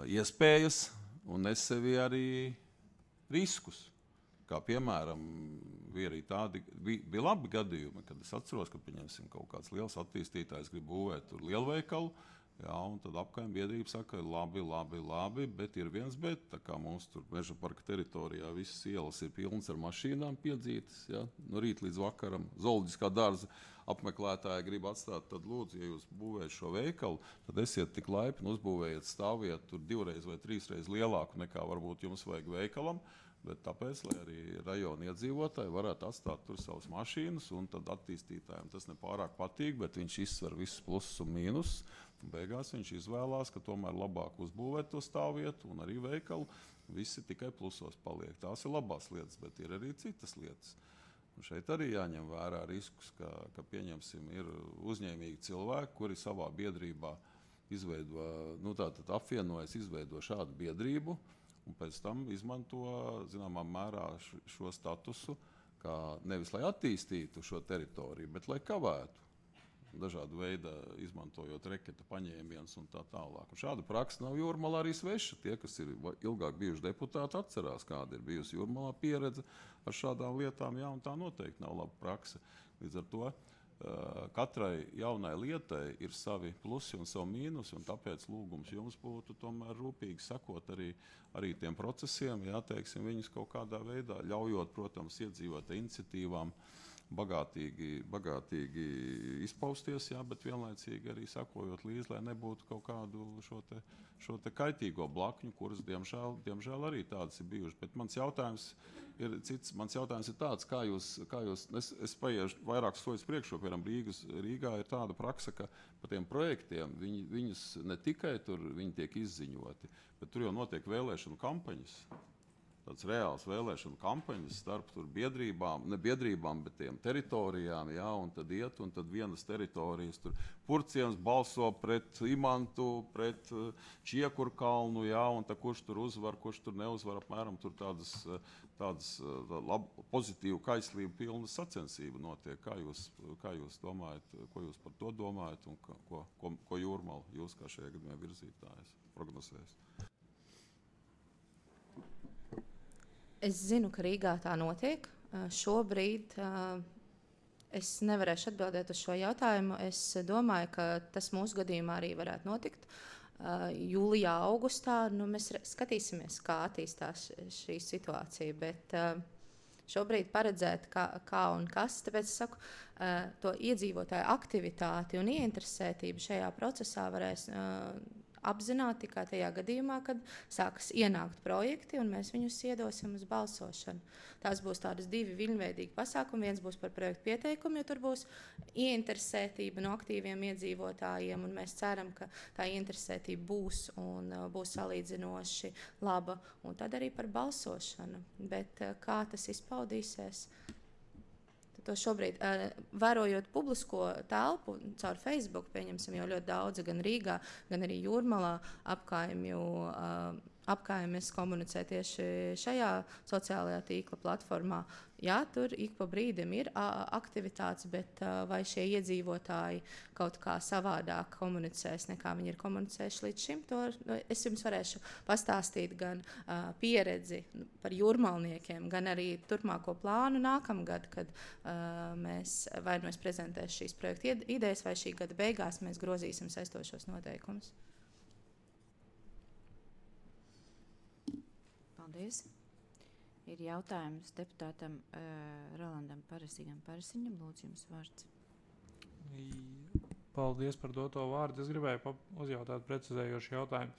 iespējas un nes sevi arī riskus. Kā piemēram, bija labi gadījumi, kad es atceros, ka pieņemsim kaut kāds liels attīstītājs grib būvēt tur lielveikalu, jā, un tad apkaimē biedrība saka, labi, bet ir viens bet, tā kā mums tur Meža parka teritorijā visas ielas ir pilnas ar mašīnām piedzītas, jā, no rīta līdz vakaram, zooloģiskā dārza apmeklētāji grib atstāt, tad lūdzu, ja jūs būvējat šo veikalu, tad esiet tik laipni, uzbūvējiet stāviet tur 2 vai 3 reizes lielāku nekā varbūt jums vajag veikalam, bet tāpēc, lai arī rajona iedzīvotāji varētu atstāt tur savas mašīnas, un tad attīstītājiem tas nepārāk patīk, bet viņš izsver visus plusus un mīnus, un beigās viņš izvēlās, ka tomēr labāk uzbūvēt to stāvvietu un arī veikalu, visi tikai plusos paliek. Tās ir labās lietas, bet ir arī citas lietas. Un šeit arī jāņem vērā riskus, ka pieņemsim, ir uzņēmīgi cilvēki, kuri savā biedrībā izveido, tātad apvienojas, izveido šādu biedrību, un pēc tam izmanto, zināmā mērā, šo statusu, kā nevis lai attīstītu šo teritoriju, bet lai kavētu. Dažādu veidu izmantojot reketa paņēmienus un tā tālāk. Un šāda praksa nav Jūrmalā arī sveša. Tie, kas ir ilgāk bijuši deputāti, atcerās, kāda ir bijusi Jūrmalā pieredze ar šādām lietām. Jā, un tā noteikti nav laba praksa. Līdz ar to katrai jaunai lietai ir savi plusi un savi mīnusi, un tāpēc lūgums jums būtu tomēr rūpīgi sakot arī tiem procesiem, jā, teiksim, viņus kaut kādā veidā ļaujot, protams, iedzīvot iniciatīvām, bagātīgi izpausties, jā, bet vienlaicīgi arī sakojot līdzi, lai nebūtu kaut kādu šo te kaitīgo blakņu, kuras, diemžēl arī tādas ir bijušas. Bet mans jautājums ir cits. Mans jautājums ir tāds, kā jūs es paiešu vairākus soļus priekšā, piemēram, Rīgā ir tāda praksa, ka par tiem projektiem viņus ne tikai tur viņi tiek izziņoti, bet tur jau notiek vēlēšanu kampaņas. Tāds reāls vēlēšanu kampaņas starp tur biedrībām, ne biedrībām, bet tiem teritorijām, jā, un tad iet, un tad vienas teritorijas tur Purciems balso pret Imantu, pret Čiekurkalnu, jā, un tad kurš tur uzvar, kurš tur neuzvar, apmēram tur tādas pozitīvu kaislību pilna sacensība notiek. Kā jūs domājat, ko jūs par to domājat, un ko Jūrmala, jūs kā šajā gadījumā virzītājs prognozējat? Es zinu, ka Rīgā tā notiek. Šobrīd es nevarēšu atbildēt uz šo jautājumu. Es domāju, ka tas mūsu gadījumā arī varētu notikt. Jūlijā, augustā mēs skatīsimies, kā attīstās šī situācija. Bet šobrīd paredzēt, kā un kas, tāpēc es saku, to iedzīvotāju aktivitāti un ieinteresētību šajā procesā varēs apzināt tikai tajā gadījumā, kad sākas ienākt projekti un mēs viņus iedosim uz balsošanu. Tās būs tādas 2 viļņveidīgi pasākumi. Viens būs par projektu pieteikumu, jo tur būs ieinteresētība no aktīviem iedzīvotājiem, un mēs ceram, ka tā ieinteresētība būs un būs salīdzinoši laba, un tad arī par balsošanu. Bet kā tas izpaudīsies? To šobrīd, vērojot publisko telpu caur Facebook, pieņemsim jau ļoti daudz, gan Rīgā, gan arī Jūrmalā apkaimes komunicē tieši šajā sociālajā tīkla platformā. Jā, tur ik pa brīdim ir aktivitātes, bet vai šie iedzīvotāji kaut kā savādāk komunicēs, nekā viņi ir komunicējuši līdz šim, to es jums varēšu pastāstīt gan pieredzi par jūrmalniekiem, gan arī turpmāko plānu nākamgad, kad mēs prezentēsim šīs projekta idejas, vai šī gada beigās mēs grozīsim saistošos noteikumus. Paldies. Ir jautājums deputātam Rolandam Parasiņam. Lūdzu, jums vārds. Paldies par doto vārdu. Es gribēju uzjautāt precizējošu jautājumu.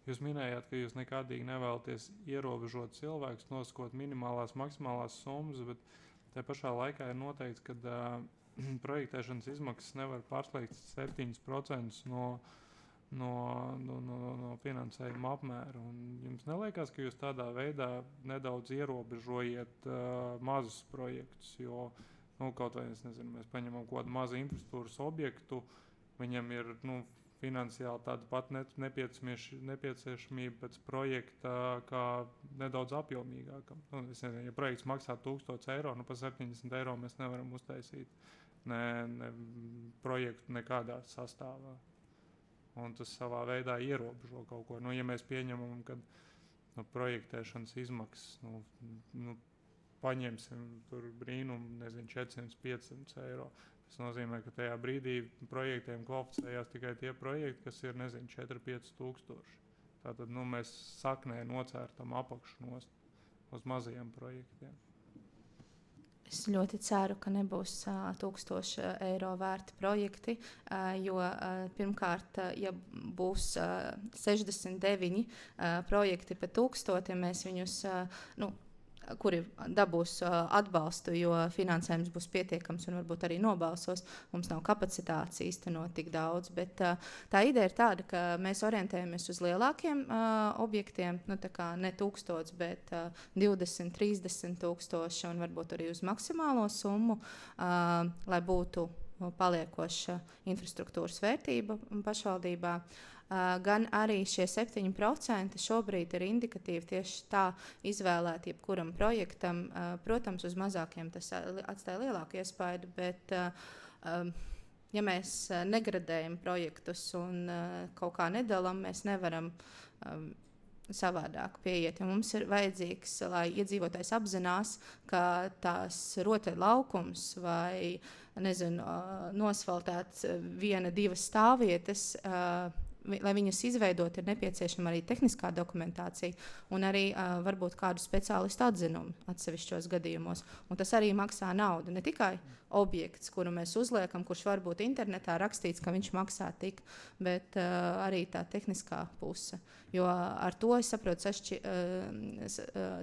Jūs minējāt, ka jūs nekādīgi nevēlaties ierobežot cilvēkus, nosakot minimālās, maksimālās summas, bet tajā pašā laikā ir noteikts, ka projektēšanas izmaksas nevar pārsliegt 7% no finansējuma apmēra. Un jums neliekas, ka jūs tādā veidā nedaudz ierobežojiet mazus projektus, jo kaut vai, mēs paņemam kaut kādu mazu infrastruktūras objektu, viņam ir finansiāli tāda pat nepieciešamība pēc projekta, kā nedaudz apjomīgākam. Es nezinu, ja projekts maksā 1000 eiro, par 70 eiro mēs nevaram uztaisīt ne projektu nekādā sastāvā. Un tas savā veidā ierobežo kaut ko. Ja mēs pieņemam, ka projektēšanas izmaksas, paņemsim tur brīnumu, 400-500 eiro. Tas nozīmē, ka tajā brīdī projektiem kvalificējās tikai tie projekti, kas ir, 4-5 tūkstoši. Tātad, mēs saknē nocērtam apakšu nost uz mazajiem projektiem. Es ļoti ceru, ka nebūs 1000 eiro vērti projekti, jo pirmkārt, ja būs 69 projekti pa 1000, mēs viņus, kuri dabūs atbalstu, jo finansējums būs pietiekams un varbūt arī nobalsos. Mums nav kapacitātes īstenot tik daudz, bet tā ideja ir tāda, ka mēs orientējamies uz lielākiem objektiem, tā kā ne 1000, bet 20, 30 tūkstoši un varbūt arī uz maksimālo summu, lai būtu paliekoša infrastruktūras vērtība pašvaldībā. Gan arī šie 7% šobrīd ir indikatīvi tieši tā izvēlēti jebkuram projektam. Protams, uz mazākiem tas atstāja lielāku iespaidu, bet ja mēs negradējam projektus un kaut kā nedalām, mēs nevaram savādāk pieiet. Mums ir vajadzīgs, lai iedzīvotājs apzinās, ka tās rotaļlaukums vai nosfaltēts 1-2 stāvvietas, lai viņas izveidot, ir nepieciešama arī tehniskā dokumentācija un arī varbūt kādu speciālistu atzinumu atsevišķos gadījumos. Un tas arī maksā naudu. Ne tikai objekts, kuru mēs uzliekam, kurš varbūt internetā rakstīts, ka viņš maksā tik, bet arī tā tehniskā puse. Jo ar to, es saprotu,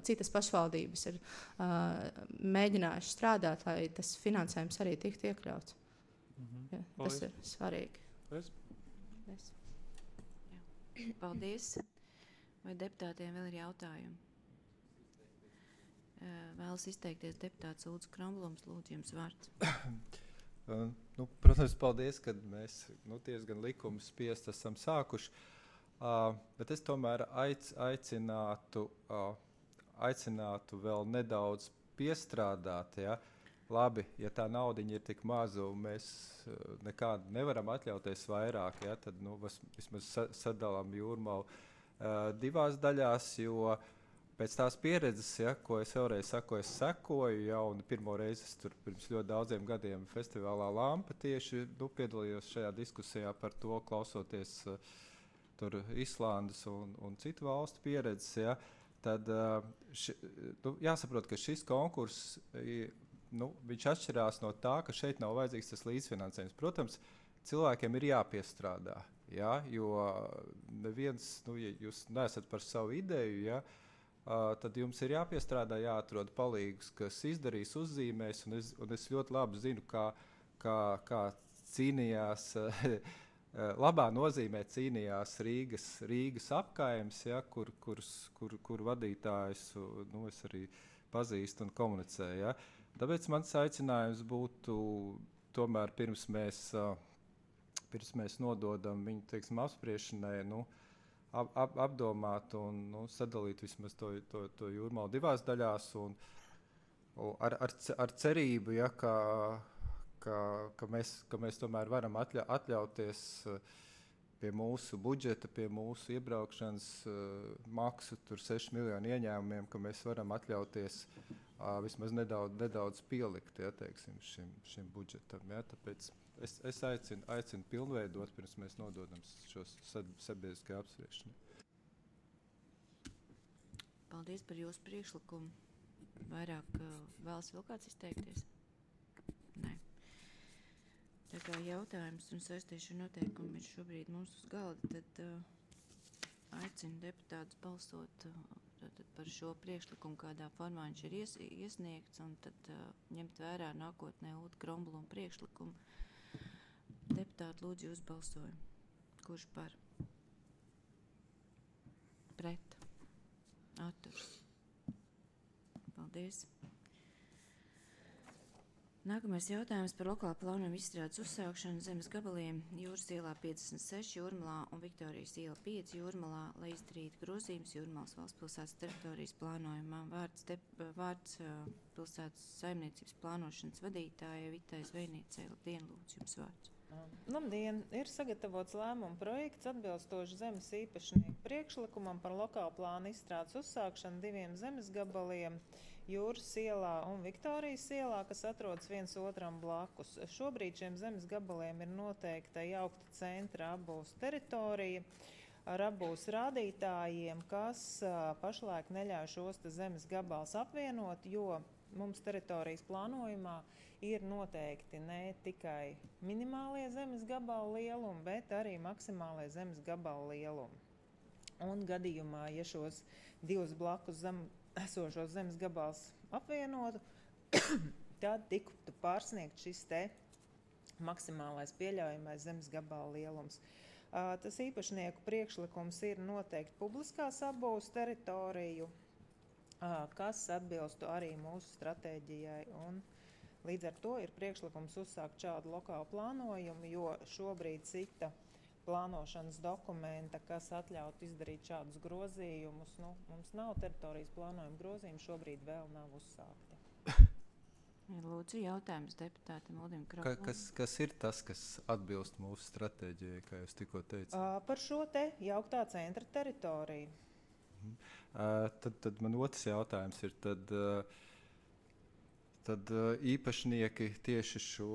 citas pašvaldības ir mēģinājuši strādāt, lai tas finansējums arī tiktu iekļauts. Ja, tas ir svarīgi. Paldies. Vai deputātiem vēl ir jautājumi? Vēlas izteikties deputāts Ulds Kromblums. Lūdzu, jums vārds. Protams, paldies, ka mēs diezgan likuma spiest esam sākuši. Bet es tomēr aicinātu vēl nedaudz piestrādāt. Ja? Labi, ja tā naudiņa ir tik maza un mēs nekādu nevaram atļauties vairāk, ja, tad vismaz sadalām Jūrmalu 2 daļās, jo pēc tās pieredzes, ja, ko es vēlreiz saku, es sekoju jau un pirmo reizi tur pirms ļoti daudziem gadiem festivālā Lampa tieši piedalījos šajā diskusijā par to, klausoties tur Islandes un citu valstu pieredzes, ja, tad jāsaprot, ka šis konkurss viņš atšķirās no tā, ka šeit nav vajadzīgs tas līdzfinansējums. Protams, cilvēkiem ir jāpiestrādā, ja, jo neviens, ja jūs neesat par savu ideju, ja, tad jums ir jāpiestrādā, jāatrod palīgus, kas izdarīs, uzzīmēs, un es ļoti labi zinu, kā cīnījās, labā nozīmē cīnījās Rīgas apkaimes, ja, kur vadītājs es arī pazīstu un komunicēju. Ja. Tāpēc mans aicinājums būtu tomēr pirms mēs nododam viņu, teiksim, apspriešanai, apdomāt un sadalīt vismaz to Jūrmalu 2 daļās un ar cerību, ja, ka mēs tomēr varam atļauties pie mūsu budžeta, pie mūsu iebraukšanas maksu, tur 6 miljonu ieņēmumiem, ka mēs varam atļauties vismaz nedaudz pielikt, ja, teiksim, šim budžetam. Ja, tāpēc es aicinu pilnveidot, pirms mēs nododam šos sabiedriskajā apspriešanai. Paldies par jūsu priekšlikumu. Vairāk vēlas vēl kāds izteikties? Nē. Tā kā jautājums un saistīšu noteikumi ir šobrīd mums uz galda, tad aicinu deputātus balsot par šo priekšlikumu, kādā formā viņš ir iesniegts, un tad ņemt vērā nākotnē Ulda Krombluma priekšlikumu. Deputāti, lūdzu jūs balsojumu. Kurš par? Pret? Atturs? Paldies. Nākamais jautājums par lokālu plānojumu izstrādes uzsākšanu zemes gabaliem Jūras ielā 56 Jūrmalā un Viktorijas iela 5 Jūrmalā, lai izdarītu grozījumus Jūrmalas valsts pilsētas teritorijas plānojumā. Vārds pilsētas saimniecības plānošanas vadītājai Vitai Zvejniecei. Labdien, lūdzu, jums vārds. Labdien! Ir sagatavots lēmuma projekts atbilstoši zemes īpašnieku priekšlikumam par lokālu plānu izstrādes uzsākšanu 2 zemes gabaliem Jūras ielā un Viktorijas ielā, kas atrodas viens otram blakus. Šobrīd šiem zemes gabaliem ir noteikta jaukta centra apbūves teritorija ar apbūves rādītājiem, kas pašlaik neļauj šos zemes gabals apvienot, jo mums teritorijas plānojumā ir noteikti ne tikai minimālie zemes gabalu lielumi, bet arī maksimālie zemes gabalu lielumi. Un gadījumā, ja šos 2 blakus esošos zemes gabals apvienotu, tad tiktu pārsniegt šis te maksimālais pieļaujamais zemes gabala lielums. Tas īpašnieku priekšlikums ir noteikti publiskās apbūves teritoriju, kas atbilstu arī mūsu stratēģijai. Un līdz ar to ir priekšlikums uzsākt šādu lokālu plānojumu, jo šobrīd cita plānošanas dokumenta, kas atļautu izdarīt šādus grozījumus. Mums nav teritorijas plānojuma grozījumi, šobrīd vēl nav uzsākti. Lūdzu, jautājums deputātam Uldim Kraulam. Kas ir tas, kas atbilst mūsu stratēģijai, kā jūs tikko teicāt? Par šo te jauktā centra teritoriju. Tad man otrs jautājums ir, tad īpašnieki tieši šo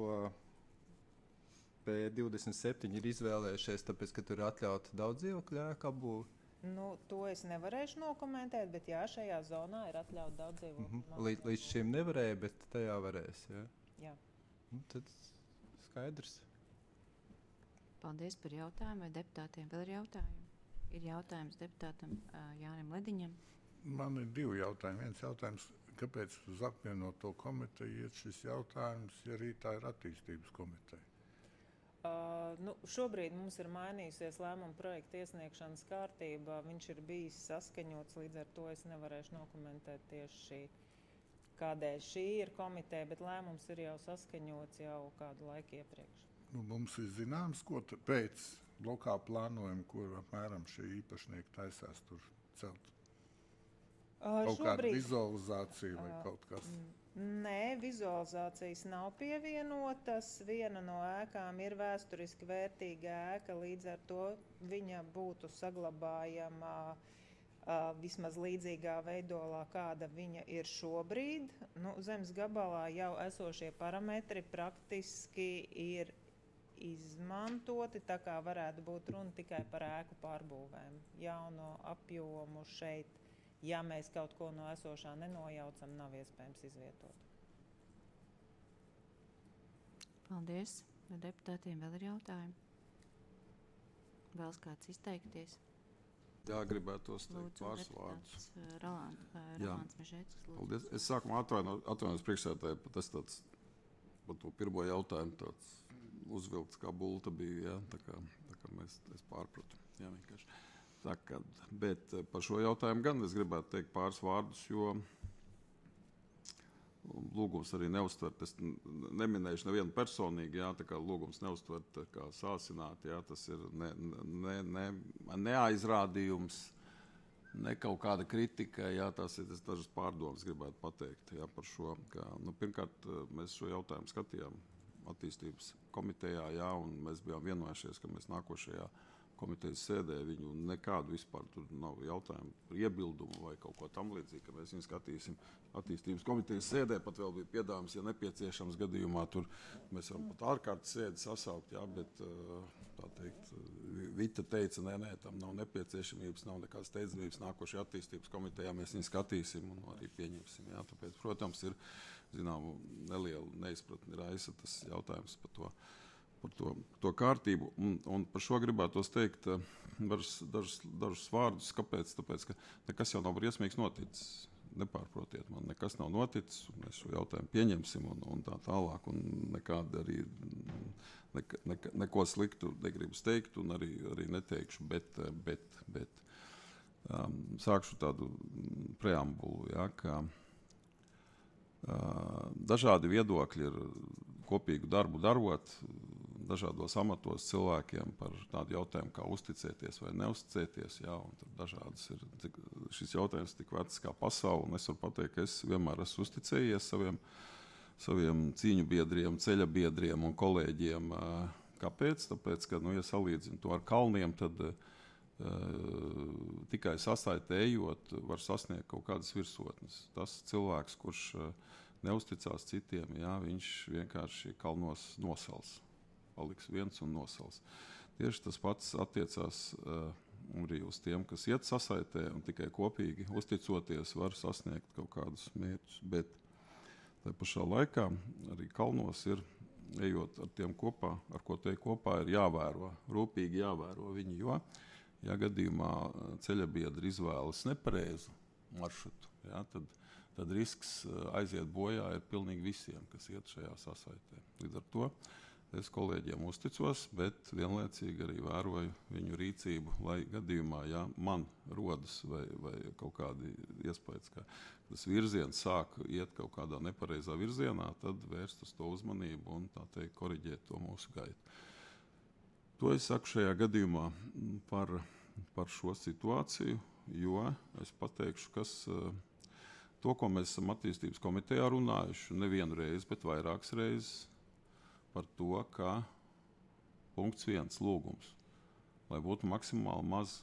P27 ir izvēlējušies, tāpēc, ka tur ir atļauta daudz dzīvokļu ēku apbūve? To es nevarēšu nokomentēt, bet jā, šajā zonā ir atļauta daudz dzīvokļu. Līdz šim nevarēja, bet tajā varēs, jā? Jā. Tad skaidrs. Paldies par jautājumu. Vai deputātiem vēl ir jautājumi? Ir jautājums deputātam Jānim Lediņam. Man ir 2 jautājumi. Viens jautājums, kāpēc uz apvienoto komiteju iet šis jautājums, ja arī tā ir attīstības komiteja? Šobrīd mums ir mainījusies lēmuma projekta iesniegšanas kārtība. Viņš ir bijis saskaņots, līdz ar to es nevarēšu nokomentēt tieši kādēļ šī ir komiteja, bet lēmums ir jau saskaņots jau kādu laiku iepriekš. Mums ir zināms, ko pēc lokā plānojuma, kur apmēram šie īpašnieki taisās tur celt? Kaut kāda vizualizācija vai kaut kas? Nē, vizualizācijas nav pievienotas. Viena no ēkām ir vēsturiski vērtīga ēka, līdz ar to viņa būtu saglabājama vismaz līdzīgā veidolā, kāda viņa ir šobrīd. Zemes gabalā jau esošie parametri praktiski ir izmantoti, tā kā varētu būt runa tikai par ēku pārbūvēm. Jauno apjomu šeit, ja mēs kaut ko no esošā nenojaucam, nav iespējams izvietot. Paldies. Vai deputātiem vēl ir jautājumi? Vēlas kāds izteikties? Jā, gribētos teikt pāris vārdus. Rolands Mežēckis. Paldies. Es sākumā atvainojos priekšsēdētāji, par to pirmo jautājumu tāds uzvilkts kā bulta bija, jā, tā kā es pārpratu. Jā, vienkārši. Bet par šo jautājumu gan es gribētu teikt pāris vārdus, jo lūgums arī neuztvert, es neminējuši nevienu personīgi, jā, tā kā lūgums neuztvert kā sāsināt, jā, tas ir neaizrādījums, ne kaut kāda kritika, jā, tās ir dažas pārdomas gribētu pateikt, jā, par šo, ka, pirmkārt, mēs šo jautājumu skatījām attīstības komitejā, jā, un mēs bijām vienojušies, ka mēs nākošajā komitejas sēdē viņu nekādu vispār tur nav jautājumu par iebildumu vai kaut ko tam līdzīgi, ka mēs viņu skatīsim attīstības komitejas sēdē, pat vēl bija piedāvājums, ja nepieciešams gadījumā, tur mēs varam pat ārkārtas sēdi sasaukt, jā, bet tā teikt, Vita teica, nē, tam nav nepieciešamības, nav nekādas steidzamības, nākošajā attīstības komitejā mēs viņu skatīsim un arī pieņemsim, jā, tāpēc, protams, ir, zinām, neliela neizpratni raisa tas jautājums par to kārtību. Un par šo gribētos teikt dažus vārdus. Kāpēc? Tāpēc, ka nekas jau nav briesmīgs noticis. Nepārprotiet man, nekas nav noticis. Mēs šo jautājumu pieņemsim un tā tālāk. Un nekādi arī neko sliktu negribas teikt un arī neteikšu. Bet sākšu tādu preambulu, ja, ka Dažādi viedokļi ir kopīgu darbu darot, dažādos amatos cilvēkiem par tādu jautājumu, kā uzticēties vai neuzticēties. Jā, un tad dažādas ir šis jautājums tik vecs kā pasaule, un es varu pateikt, ka es vienmēr esmu uzticējies saviem cīņu biedriem, ceļa biedriem un kolēģiem. Kāpēc? Tāpēc, ka, ja salīdzinu to ar kalniem, tad tikai sasaitējot var sasniegt kaut kādas virsotnes. Tas cilvēks, kurš neusticās citiem, jā, viņš vienkārši kalnos nosals. Paliks viens un nosals. Tieši tas pats attiecās arī uz tiem, kas iet sasaitē un tikai kopīgi uzticoties var sasniegt kaut kādus mērķus. Bet tā pašā laikā arī kalnos ir, ejot ar tiem kopā, ar ko te kopā ir jāvēro, rūpīgi jāvēro viņi, jo, ja gadījumā ceļabiedri izvēlas nepareizu maršrutu, jā, tad risks aiziet bojā ir pilnīgi visiem, kas iet šajā sasaitē. Līdz ar to es kolēģiem uzticos, bet vienlaicīgi arī vēroju viņu rīcību, lai gadījumā, ja man rodas vai kaut kādi iespējas, ka tas virziens sāk iet kaut kādā nepareizā virzienā, tad vērst uz to uzmanību un tā teikt koriģēt to mūsu gaitu. To es saku šajā gadījumā par šo situāciju, jo es pateikšu, kas to, ko mēs esam attīstības komitejā runājuši nevienu reizi, bet vairākas reizes, par to, ka punkts 1 lūgums, lai būtu maksimāli maz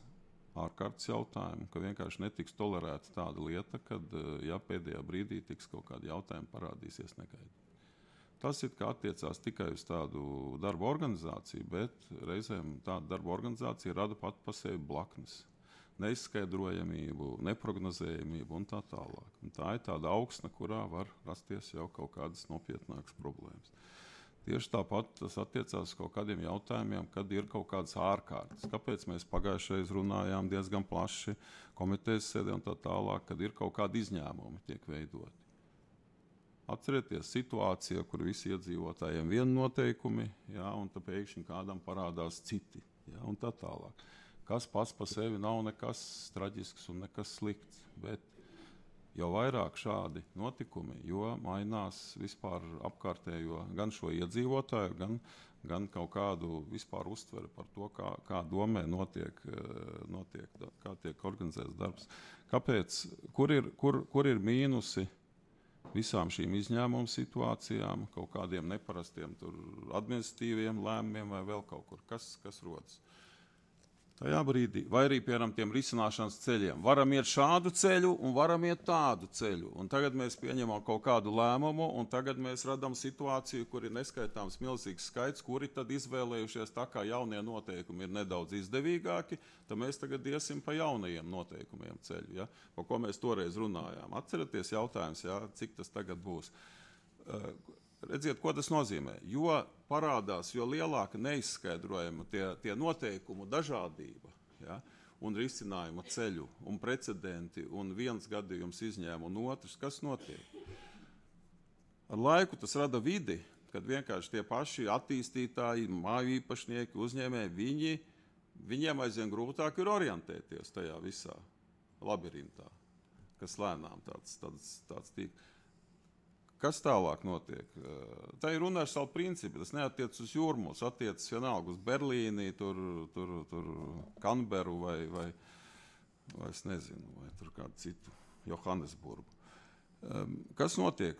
ārkārtas jautājumu, ka vienkārši netiks tolerēta tāda lieta, kad ja pēdējā brīdī tiks kaut kādi jautājumi parādīsies negaidīt. Tas it kā attiecās tikai uz tādu darba organizāciju, bet reizēm tāda darba organizācija rada pat pa sevi blaknes, neizskaidrojamību, neprognozējamību un tā tālāk. Un tā ir tāda augsne, kurā var rasties jau kaut kādas nopietnākas problēmas. Tieši tāpat tas attiecās uz kaut kādiem jautājumiem, kad ir kaut kādas ārkārtas. Kāpēc mēs pagājušreiz runājām diezgan plaši komitejas sēdē un tā tālāk, kad ir kaut kādi izņēmumi tiek veidoti. Atcerieties situāciju, kur visi iedzīvotājiem vieni noteikumi, jā, un tad pēkšņi kādam parādās citi, jā, un tā tālāk. Kas pats pa sevi nav nekas traģisks un nekas slikts, bet jo vairāk šādi notikumi, jo mainās vispār apkārtējo gan šo iedzīvotāju, gan kaut kādu vispār uztveri par to, kā domē notiek, kā tiek organizēts darbs. Kāpēc? Kur ir mīnusi visām šīm izņēmumu situācijām, kaut kādiem neparastiem administratīviem lēmumiem vai vēl kaut kur? Kas rodas? Tajā brīdī, vai arī, piemēram, tiem risināšanas ceļiem. Varam iet šādu ceļu un varam iet tādu ceļu. Un tagad mēs pieņemam kaut kādu lēmumu, un tagad mēs radām situāciju, kur ir neskaitāms milzīgs skaits, kuri tad izvēlējušies tā, kā jaunie noteikumi ir nedaudz izdevīgāki, tad mēs tagad iesim pa jaunajiem noteikumiem ceļu, ja? Pa ko mēs toreiz runājām. Atceraties jautājums, ja? Cik tas tagad būs. Redziet, ko tas nozīmē. Jo parādās, jo lielāka neizskaidrojama tie noteikumu dažādība, ja, un risinājuma ceļu, un precedenti, un viens gadījums izņēma, un otrs, kas notiek? Ar laiku tas rada vidi, kad vienkārši tie paši attīstītāji, māju īpašnieki, uzņēmēji, viņiem aizvien grūtāk ir orientēties tajā visā labirintā, kas lēnām tāds tīk. Kas tālāk notiek? Tā ir universāla principi. Tas neatiec uz Jūrmālu, attiecas vienalga uz Berlīni, tur Kanberu vai es nezinu, vai tur kādu citu Johannesburgu. Kas notiek?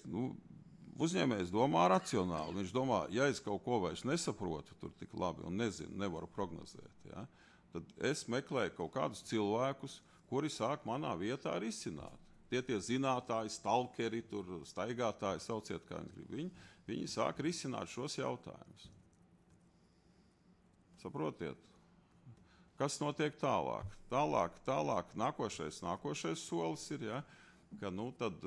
Uzņēmējs domā racionāli. Viņš domā, ja es kaut ko vairs nesaprotu tur tik labi un nezinu, nevaru prognozēt, ja, tad es meklēju kaut kādus cilvēkus, kuri sāk manā vietā risināt. Tie zinātāji, stalkeri, staigātāji, sauciet, kā viņi grib. Viņi sāk risināt šos jautājumus. Saprotiet? Kas notiek tālāk? Tālāk nākošais solis ir, ja, ka tad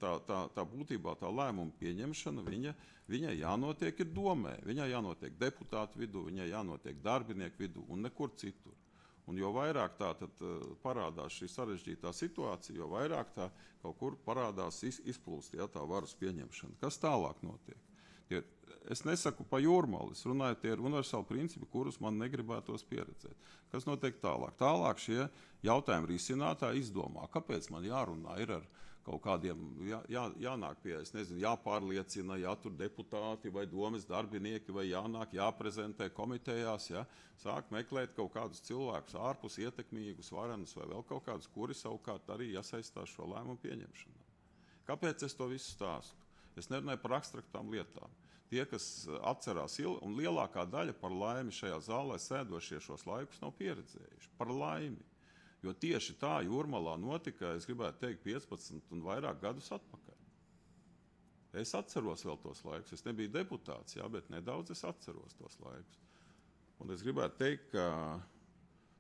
tā būtībā tā lēmuma pieņemšana, viņai jānotiek ir domē, viņai jānotiek deputātu vidū, viņai jānotiek darbinieku vidū un nekur citur. Un jo vairāk tā tad parādās šī sarežģītā situācija, jo vairāk tā kaut kur parādās izplūst, ja, tā varas pieņemšana. Kas tālāk notiek? Es nesaku pa Jūrmalu, es runāju, tie ir universāli principi, kurus man negribētos pieredzēt. Kas notiek tālāk? Tālāk šie jautājumi risinātāji izdomā, kāpēc man jārunā ir ar kaut kādiem, jānāk pie, es nezinu, jāpārliecina, jātur deputāti vai domes darbinieki, vai jānāk, jāprezentē komitejās, sāk meklēt kaut kādus cilvēkus ārpus ietekmīgus, varenus vai vēl kaut kādus, kuri savukārt arī iesaistās šo lēmumu pieņemšanā. Kāpēc es to visu stāstu? Es nerunāju par abstraktām lietām. Tie, kas atcerās, un lielākā daļa par laimi šajā zālē sēdošie šos laikus nav pieredzējuši. Par laimi. Jo tieši tā Jūrmalā notika, es gribētu teikt, 15 un vairāk gadus atpakaļ. Es atceros vēl tos laikus. Es nebiju deputāts, bet nedaudz es atceros tos laikus. Un es gribētu teikt, ka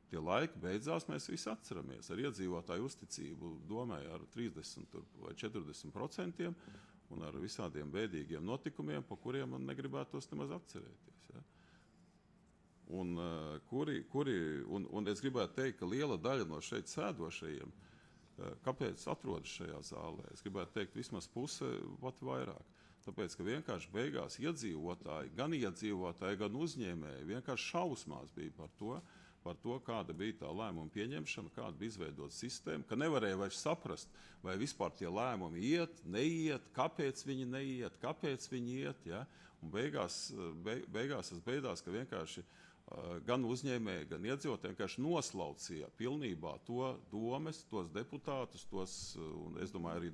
tie laiki beidzās, mēs visi atceramies ar iedzīvotāju uzticību domē ar 30 vai 40%, un ar visādiem bēdīgiem notikumiem, pa kuriem man negribētos nemaz atcerēties. Un es gribētu teikt, ka liela daļa no šeit sēdošajiem, kāpēc atrodas šajā zālē, es gribētu teikt vismaz puse, pat vairāk. Tāpēc, ka vienkārši beigās iedzīvotāji, gan uzņēmēji, vienkārši šausmās bija par to, kāda bija tā lēmuma pieņemšana, kāda bija izveidota sistēma, ka nevarēja vairs saprast, vai vispār tie lēmumi iet, neiet, kāpēc viņi neiet, kāpēc viņi iet. Un beigās tas beidās, ka vienkārši gan uzņēmēji, gan iedzīvotāji vienkārši noslaucīja pilnībā to domes, tos deputātus, un es domāju, arī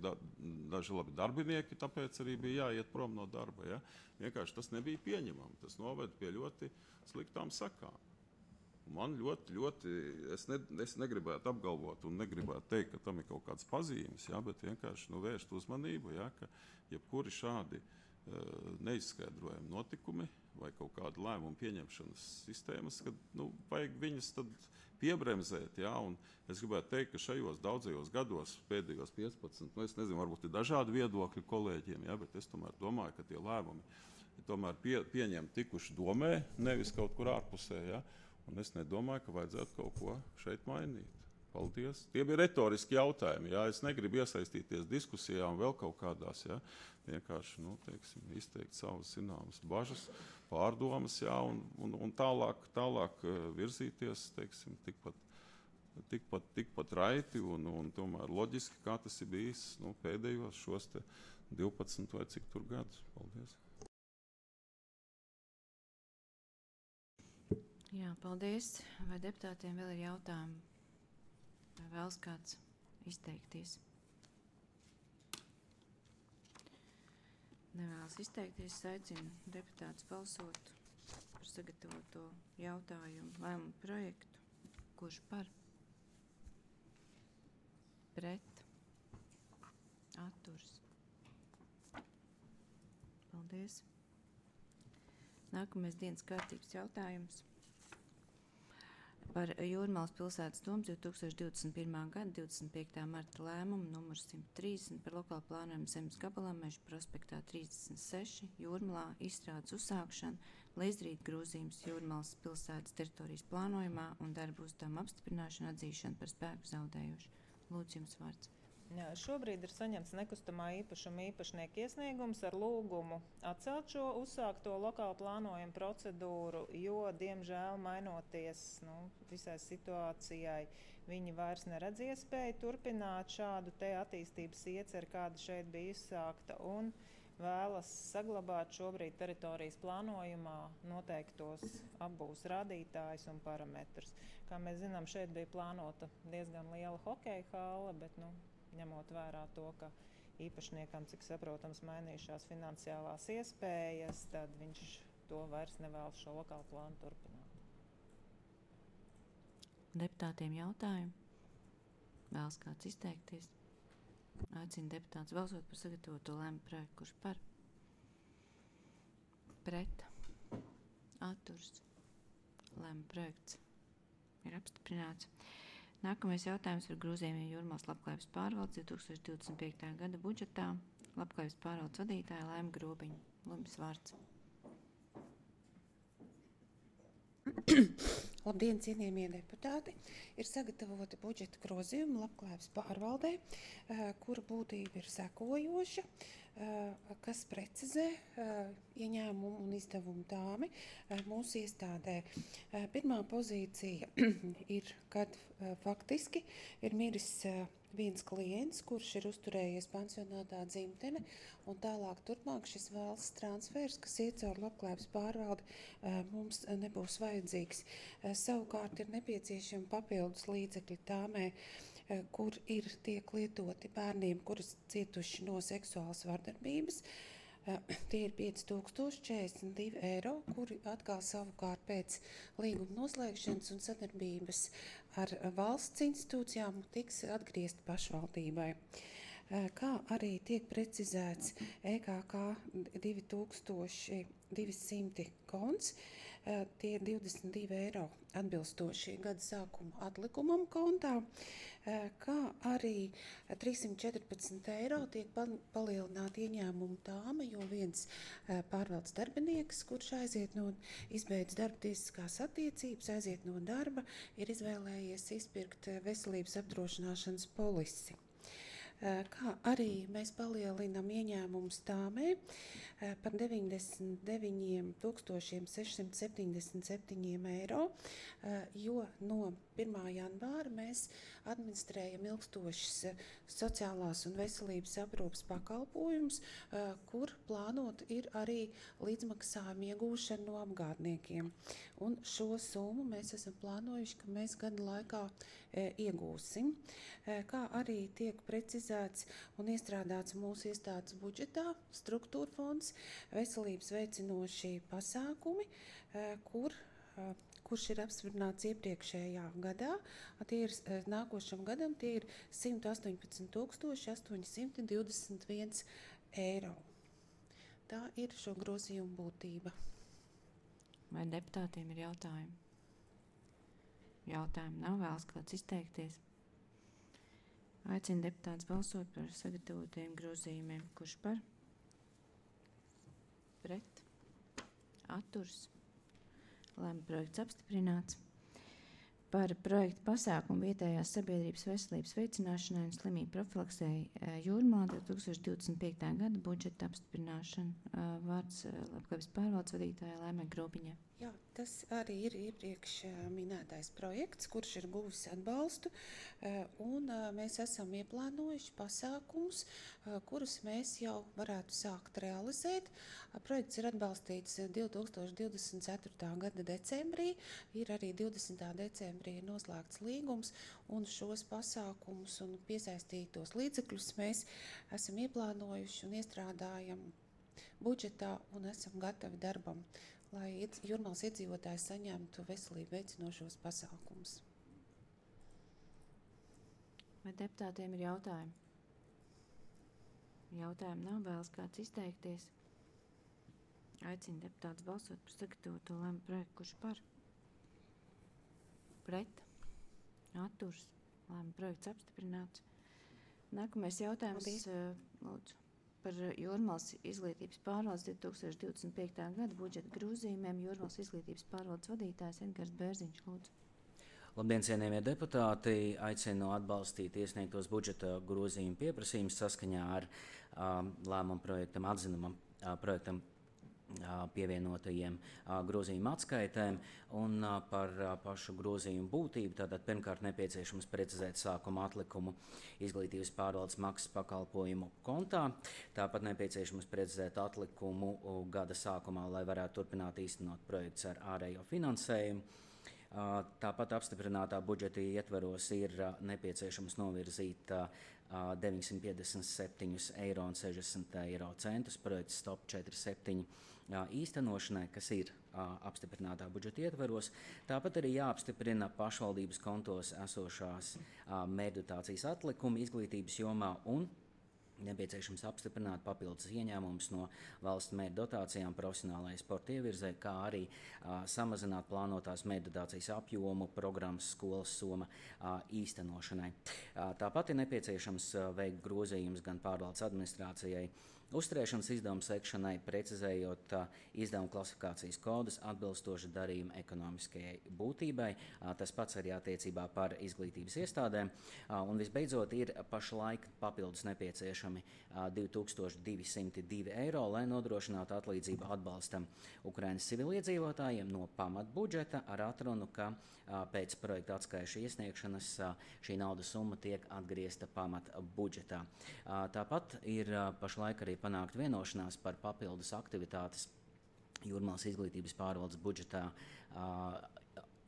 daži labi darbinieki, tāpēc arī bija jāiet prom no darba. Vienkārši tas nebija pieņemami. Tas noved pie ļoti sliktām sakām. Man ļoti, es negribētu apgalvot un negribētu teikt, ka tam ir kaut kāds pazīmes, bet vienkārši vērst uzmanību, ka jebkuri šādi neizskaidrojami notikumi vai kaut kāda lēmuma pieņemšanas sistēmas, kad vajag viņas tad piebremzēt, un es gribētu teikt, ka šajos daudzajos gados, pēdējos 15, es nezinu, varbūt ir dažādi viedokļi kolēģiem, bet es tomēr domāju, ka tie lēmumi tomēr pieņem tikuši domē, nevis kaut kur ārpusē, un es nedomāju, ka vajadzētu kaut ko šeit mainīt. Paldies. Tie bija retoriski jautājumi. Es negribu iesaistīties diskusijā un vēl kaut kādās. Vienkārši izteikt savas zināmas bažas, pārdomas, un tālāk virzīties, tikpat raiti un tomēr loģiski, kā tas ir bijis pēdējos šos 12 vai cik tur gadus. Paldies. Jā, paldies. Vai deputātiem vēl ir jautājumi? Vai vēlas kāds izteikties? Nevēlas izteikties, aicinu deputātus balsot par sagatavoto jautājumu lēmumu projektu. Kurš par? Pret? Atturs? Paldies. Nākamais dienas kārtības jautājums. Par Jūrmalas pilsētas domas 2021. gada 25. marta lēmumu numur 130 par lokālu plānojumu zemes gabalā Meža prospektā 36 Jūrmalā izstrādes uzsākšanu, lai izdarītu grozījumus Jūrmalas pilsētas teritorijas plānojumā un darbu uzdevumu apstiprināšanu atzīšanu par spēku zaudējuši. Lūdzu, jums vārds. Šobrīd ir saņemts nekustamā īpašuma īpašnieka iesniegums ar lūgumu atcelt šo uzsākto lokālu plānojumu procedūru, jo, diemžēl, mainoties visai situācijai, viņi vairs neredz iespēju turpināt šādu te attīstības ieceri, kāda šeit bija izsākta, un vēlas saglabāt šobrīd teritorijas plānojumā noteiktos apbūves rādītājus un parametrus. Kā mēs zinām, šeit bija plānota diezgan liela hokeja hāla, bet, ņemot vērā to, ka īpašniekam, cik saprotams, mainījušās finansiālās iespējas, tad viņš to vairs nevēlas šo lokālu plānu turpināt. Deputātiem jautājumi? Vēlas kāds izteikties? Aicinu deputātus balsot par sagatavoto lēmumu projektu. Kurš par? Pret? Atturs? Lēmuma projekts ir apstiprināts. Nākamais jautājums par grozījumiem Jūrmalas labklājības pārvaldes 2025. gada budžetā. Labklājības pārvaldes vadītāja Laima Grobiņa. Lūdzu, vārds. Labdien, cienījamie deputāti! Ir sagatavoti budžeta grozījumi labklājības pārvaldē, kura būtība ir sekojoša. kas precizē ieņēmumu un izdevumu tāmi mūsu iestādē. Pirmā pozīcija ir, kad faktiski ir miris viens klients, kurš ir uzturējies pansionātā dzimtene, un tālāk turpmāk šis valsts transfers, kas iet caur labklājības pārvaldi, mums nebūs vajadzīgs. Savukārt ir nepieciešami papildus līdzekļi tāmē, kur tiek lietoti bērniem, kuras cietuši no seksuālas vardarbības. Tie ir 5042 eiro, kuri atkal savukārt pēc līguma noslēgšanas un sadarbības ar valsts institūcijām tiks atgriezti pašvaldībai. Kā arī tiek precizēts EKK 2200 konts, tie ir 22 eiro atbilstoši gada sākuma atlikumam kontā, kā arī 314 eiro tiek palielināta ieņēmuma tāma, jo viens pārvaldes darbinieks, kurš izbeidz darba tiesiskās attiecības, aiziet no darba, ir izvēlējies izpirkt veselības apdrošināšanas polisi. Kā arī mēs palielinām ieņēmumus tāmē par 99 677 eiro, jo no 1. janvāra mēs administrējam ilgstošas sociālās un veselības aprūpes pakalpojumus, kur plānot ir arī līdzmaksājuma iegūšana no apgādniekiem. Un šo summu mēs esam plānojuši, ka mēs gada laikā iegūsim. Kā arī tiek precizēts un iestrādāts mūsu iestādes budžetā struktūra fonds, veselības veicinošie pasākumi, kurš ir apstiprināts iepriekšējā gadā. Tie ir nākošam gadam tie ir 118 821 eiro. Tā ir šo grozījumu būtība. Vai deputātiem ir jautājumi? Jautājumi nav, vēlas kāds izteikties. Aicinu deputātus balsot par sagatavotiem grozījumiem. Kurš par? Pret? Atturs? Lēmuma projekts apstiprināts. Par projektu pasākumu vietējās sabiedrības veselības veicināšanai un slimību profilaksei Jūrmā 2025. gada budžeta apstiprināšana. Vārds labklājības pārvaldes vadītājai Laimai Grobiņai. Jā, tas arī ir iepriekš minētais projekts, kurš ir guvis atbalstu, un mēs esam ieplānojuši pasākumus, kurus mēs jau varētu sākt realizēt. Projekts ir atbalstīts 2024. gada decembrī, ir arī 20. decembrī noslēgts līgums, un šos pasākumus un piesaistītos līdzekļus mēs esam ieplānojuši un iestrādājam budžetā un esam gatavi darbam, lai Jūrmālas iedzīvotāji saņemtu veselību veicinošos pasākumus. Vai deputātiem ir jautājumi? Jautājumi nav, vēlas kāds izteikties. Aicinu deputātus balsot par sagatavoto lēmumu projektu. Kurš par? Pret? Atturs? Lēmumu projekts apstiprināts. Nākamais jautājums, lūdzu. Par Jūrmālas izglītības pārvaldes 2025. gada budžeta grozījumiem Jūrmālas izglītības pārvaldes vadītājs Edgars Bērziņš, lūdzu. Labdien, cienījamie deputāti! Aicinu atbalstīt iesniegtos budžeta grozījumu pieprasījumus saskaņā ar lēmumu projektam atzinumam projektam pievienotajiem grozījuma atskaitēm un par pašu grozījumu būtību. Tātad pirmkārt nepieciešams precizēt sākuma atlikumu izglītības pārvaldes maksas pakalpojumu kontā. Tāpat nepieciešams precizēt atlikumu gada sākumā, lai varētu turpināt īstenot projekts ar ārējo finansējumu. Tāpat apstiprinātā budžeta ietveros ir nepieciešams novirzīt 957,60 eiro projekts Stop 47 īstenošanai, kas ir apstiprinātā budžeta ietveros. Tāpat arī jāapstiprina pašvaldības kontos esošās mērķdotācijas atlikumi izglītības jomā un nepieciešams apstiprināt papildus ieņēmumus no valsts mērķdotācijām profesionālajai sporta ievirzē, kā arī samazināt plānotās mērķdotācijas apjomu programmas skolas soma īstenošanai. Tāpat ir nepieciešams veikt grozījumus gan pārvaldes administrācijai, uzturēšanas izdevumu sekšanai, precizējot izdevumu klasifikācijas kodus atbilstoši darījuma ekonomiskajai būtībai. Tas pats arī attiecībā par izglītības iestādēm. Un visbeidzot ir pašlaik papildus nepieciešami 2202 eiro, lai nodrošinātu atlīdzību atbalstam Ukrainas civiliedzīvotājiem no pamatbudžeta ar atrunu, ka pēc projekta atskaišu iesniegšanas šī naudas summa tiek atgriezta pamatbudžetā. Tāpat ir pašlaik arī panākt vienošanās par papildus aktivitātes Jūrmālas izglītības pārvaldes budžetā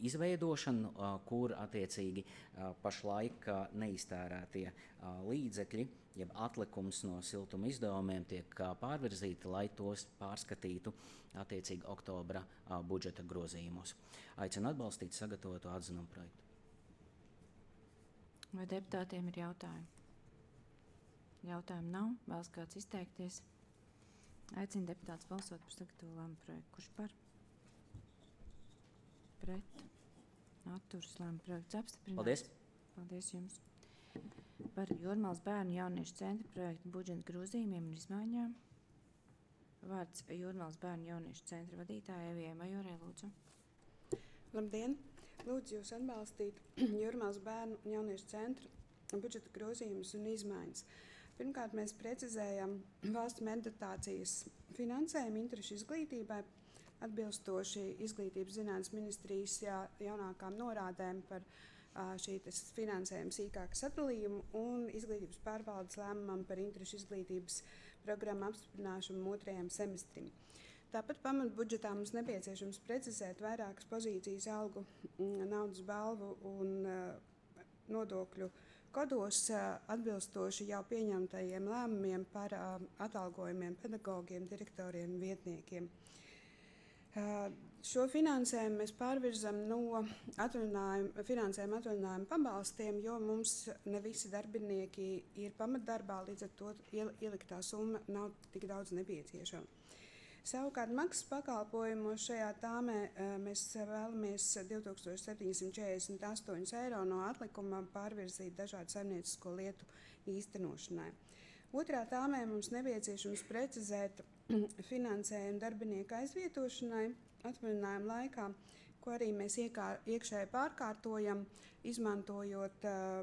izveidošanu, kur attiecīgi pašlaik neiztērētie līdzekļi, jeb atlikums no siltuma izdevumiem tiek pārvirzīti, lai tos pārskatītu attiecīgi oktobra budžeta grozījumos. Aicinu atbalstīt sagatavotu atzinumu projektu. Vai deputātiem ir jautājumi? Jautājumu nav. Vēlas kāds izteikties? Aicinu deputātus balsot par sagatavotu lēmumu projektu. Kurš par? Pret? Atturas lēmumu projekts apstiprināts. Paldies! Paldies jums! Par Jūrmālas bērnu jauniešu centra projektu budžeta grozījumiem un izmaiņām. Vārds Jūrmālas bērnu jauniešu centra vadītājai Evijai Majorei, lūdzu. Labdien! Lūdzu jūs atbalstīt Jūrmālas bērnu jauniešu centra budžeta grozījumus un izmaiņas. Pirmkārt, mēs precizējam valsts meditācijas finansējumu interešu izglītībai, atbilstoši Izglītības zinātnes ministrijas jaunākām norādēm par šīs finansējuma sīkāku sadalījumu un Izglītības pārvaldes lēmumam par interešu izglītības programmu apstiprināšanu 2. semestrim. Tāpat pamatbudžetā mums nepieciešams precizēt vairākas pozīcijas algu, naudas balvu un nodokļu kodos atbilstoši jau pieņemtajiem lēmumiem par atalgojumiem pedagogiem, direktoriem un vietniekiem. Šo finansējumu mēs pārvirzam no finansējuma atvaļinājuma pabalstiem, jo mums ne visi darbinieki ir pamatdarbā, līdz ar to ieliktā summa nav tik daudz nepieciešama. Savukārt maksas pakalpojumos šajā tāmē mēs vēlamies 2748 eiro no atlikuma pārvirzīt dažādu saimniecisko lietu īstenošanai. Otrā tāmē mums nepieciešams precizēt finansējumu darbinieku aizvietošanai atvaļinājuma laikā, ko arī mēs iekšēji pārkārtojam, izmantojot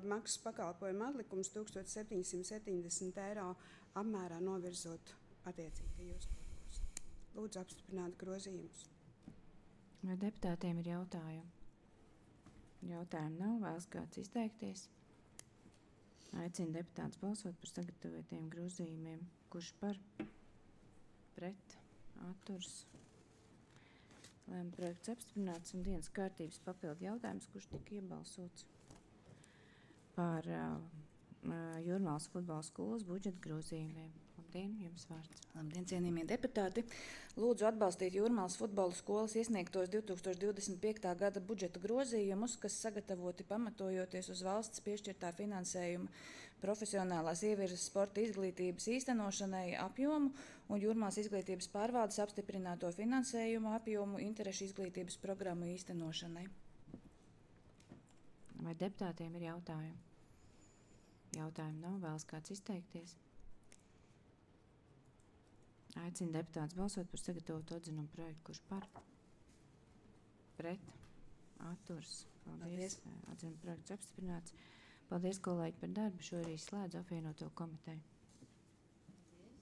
maksas pakalpojumu atlikumus 1770 eiro apmērā novirzot attiecīgajos. Lūdzu apstiprināt grozījumus. Vai deputātiem ir jautājumi? Jautājumu nav, vēlas kāds izteikties. Aicinu deputātus balsot par sagatavotiem grozījumiem. Kurš par? Pret? Atturs? Lēmuma projekts apstiprināts un dienas kārtības papildu jautājums, kurš tika iebalsots par Jūrmālas futbola skolas budžeta grozījumiem. Labdien, jums vārds. Labdien, cienījamie deputāti. Lūdzu atbalstīt Jūrmālas futbola skolas iesniegtos 2025. gada budžeta grozījumus, kas sagatavoti pamatojoties uz valsts piešķirtā finansējuma profesionālās ievirzes sporta izglītības īstenošanai apjomu un Jūrmālas izglītības pārvaldes apstiprināto finansējumu apjomu interešu izglītības programmu īstenošanai. Vai deputātiem ir jautājumi? Jautājumu nav, vēlas kāds izteikties. Aicinu deputātus balsot par sagatavotu atzinumu projektu. Kurš par? Pret? Atturs? Paldies. Atzinumu projekts apstiprināts. Paldies, kolēģi, par darbu. Šo arī slēdz apvienoto komiteju.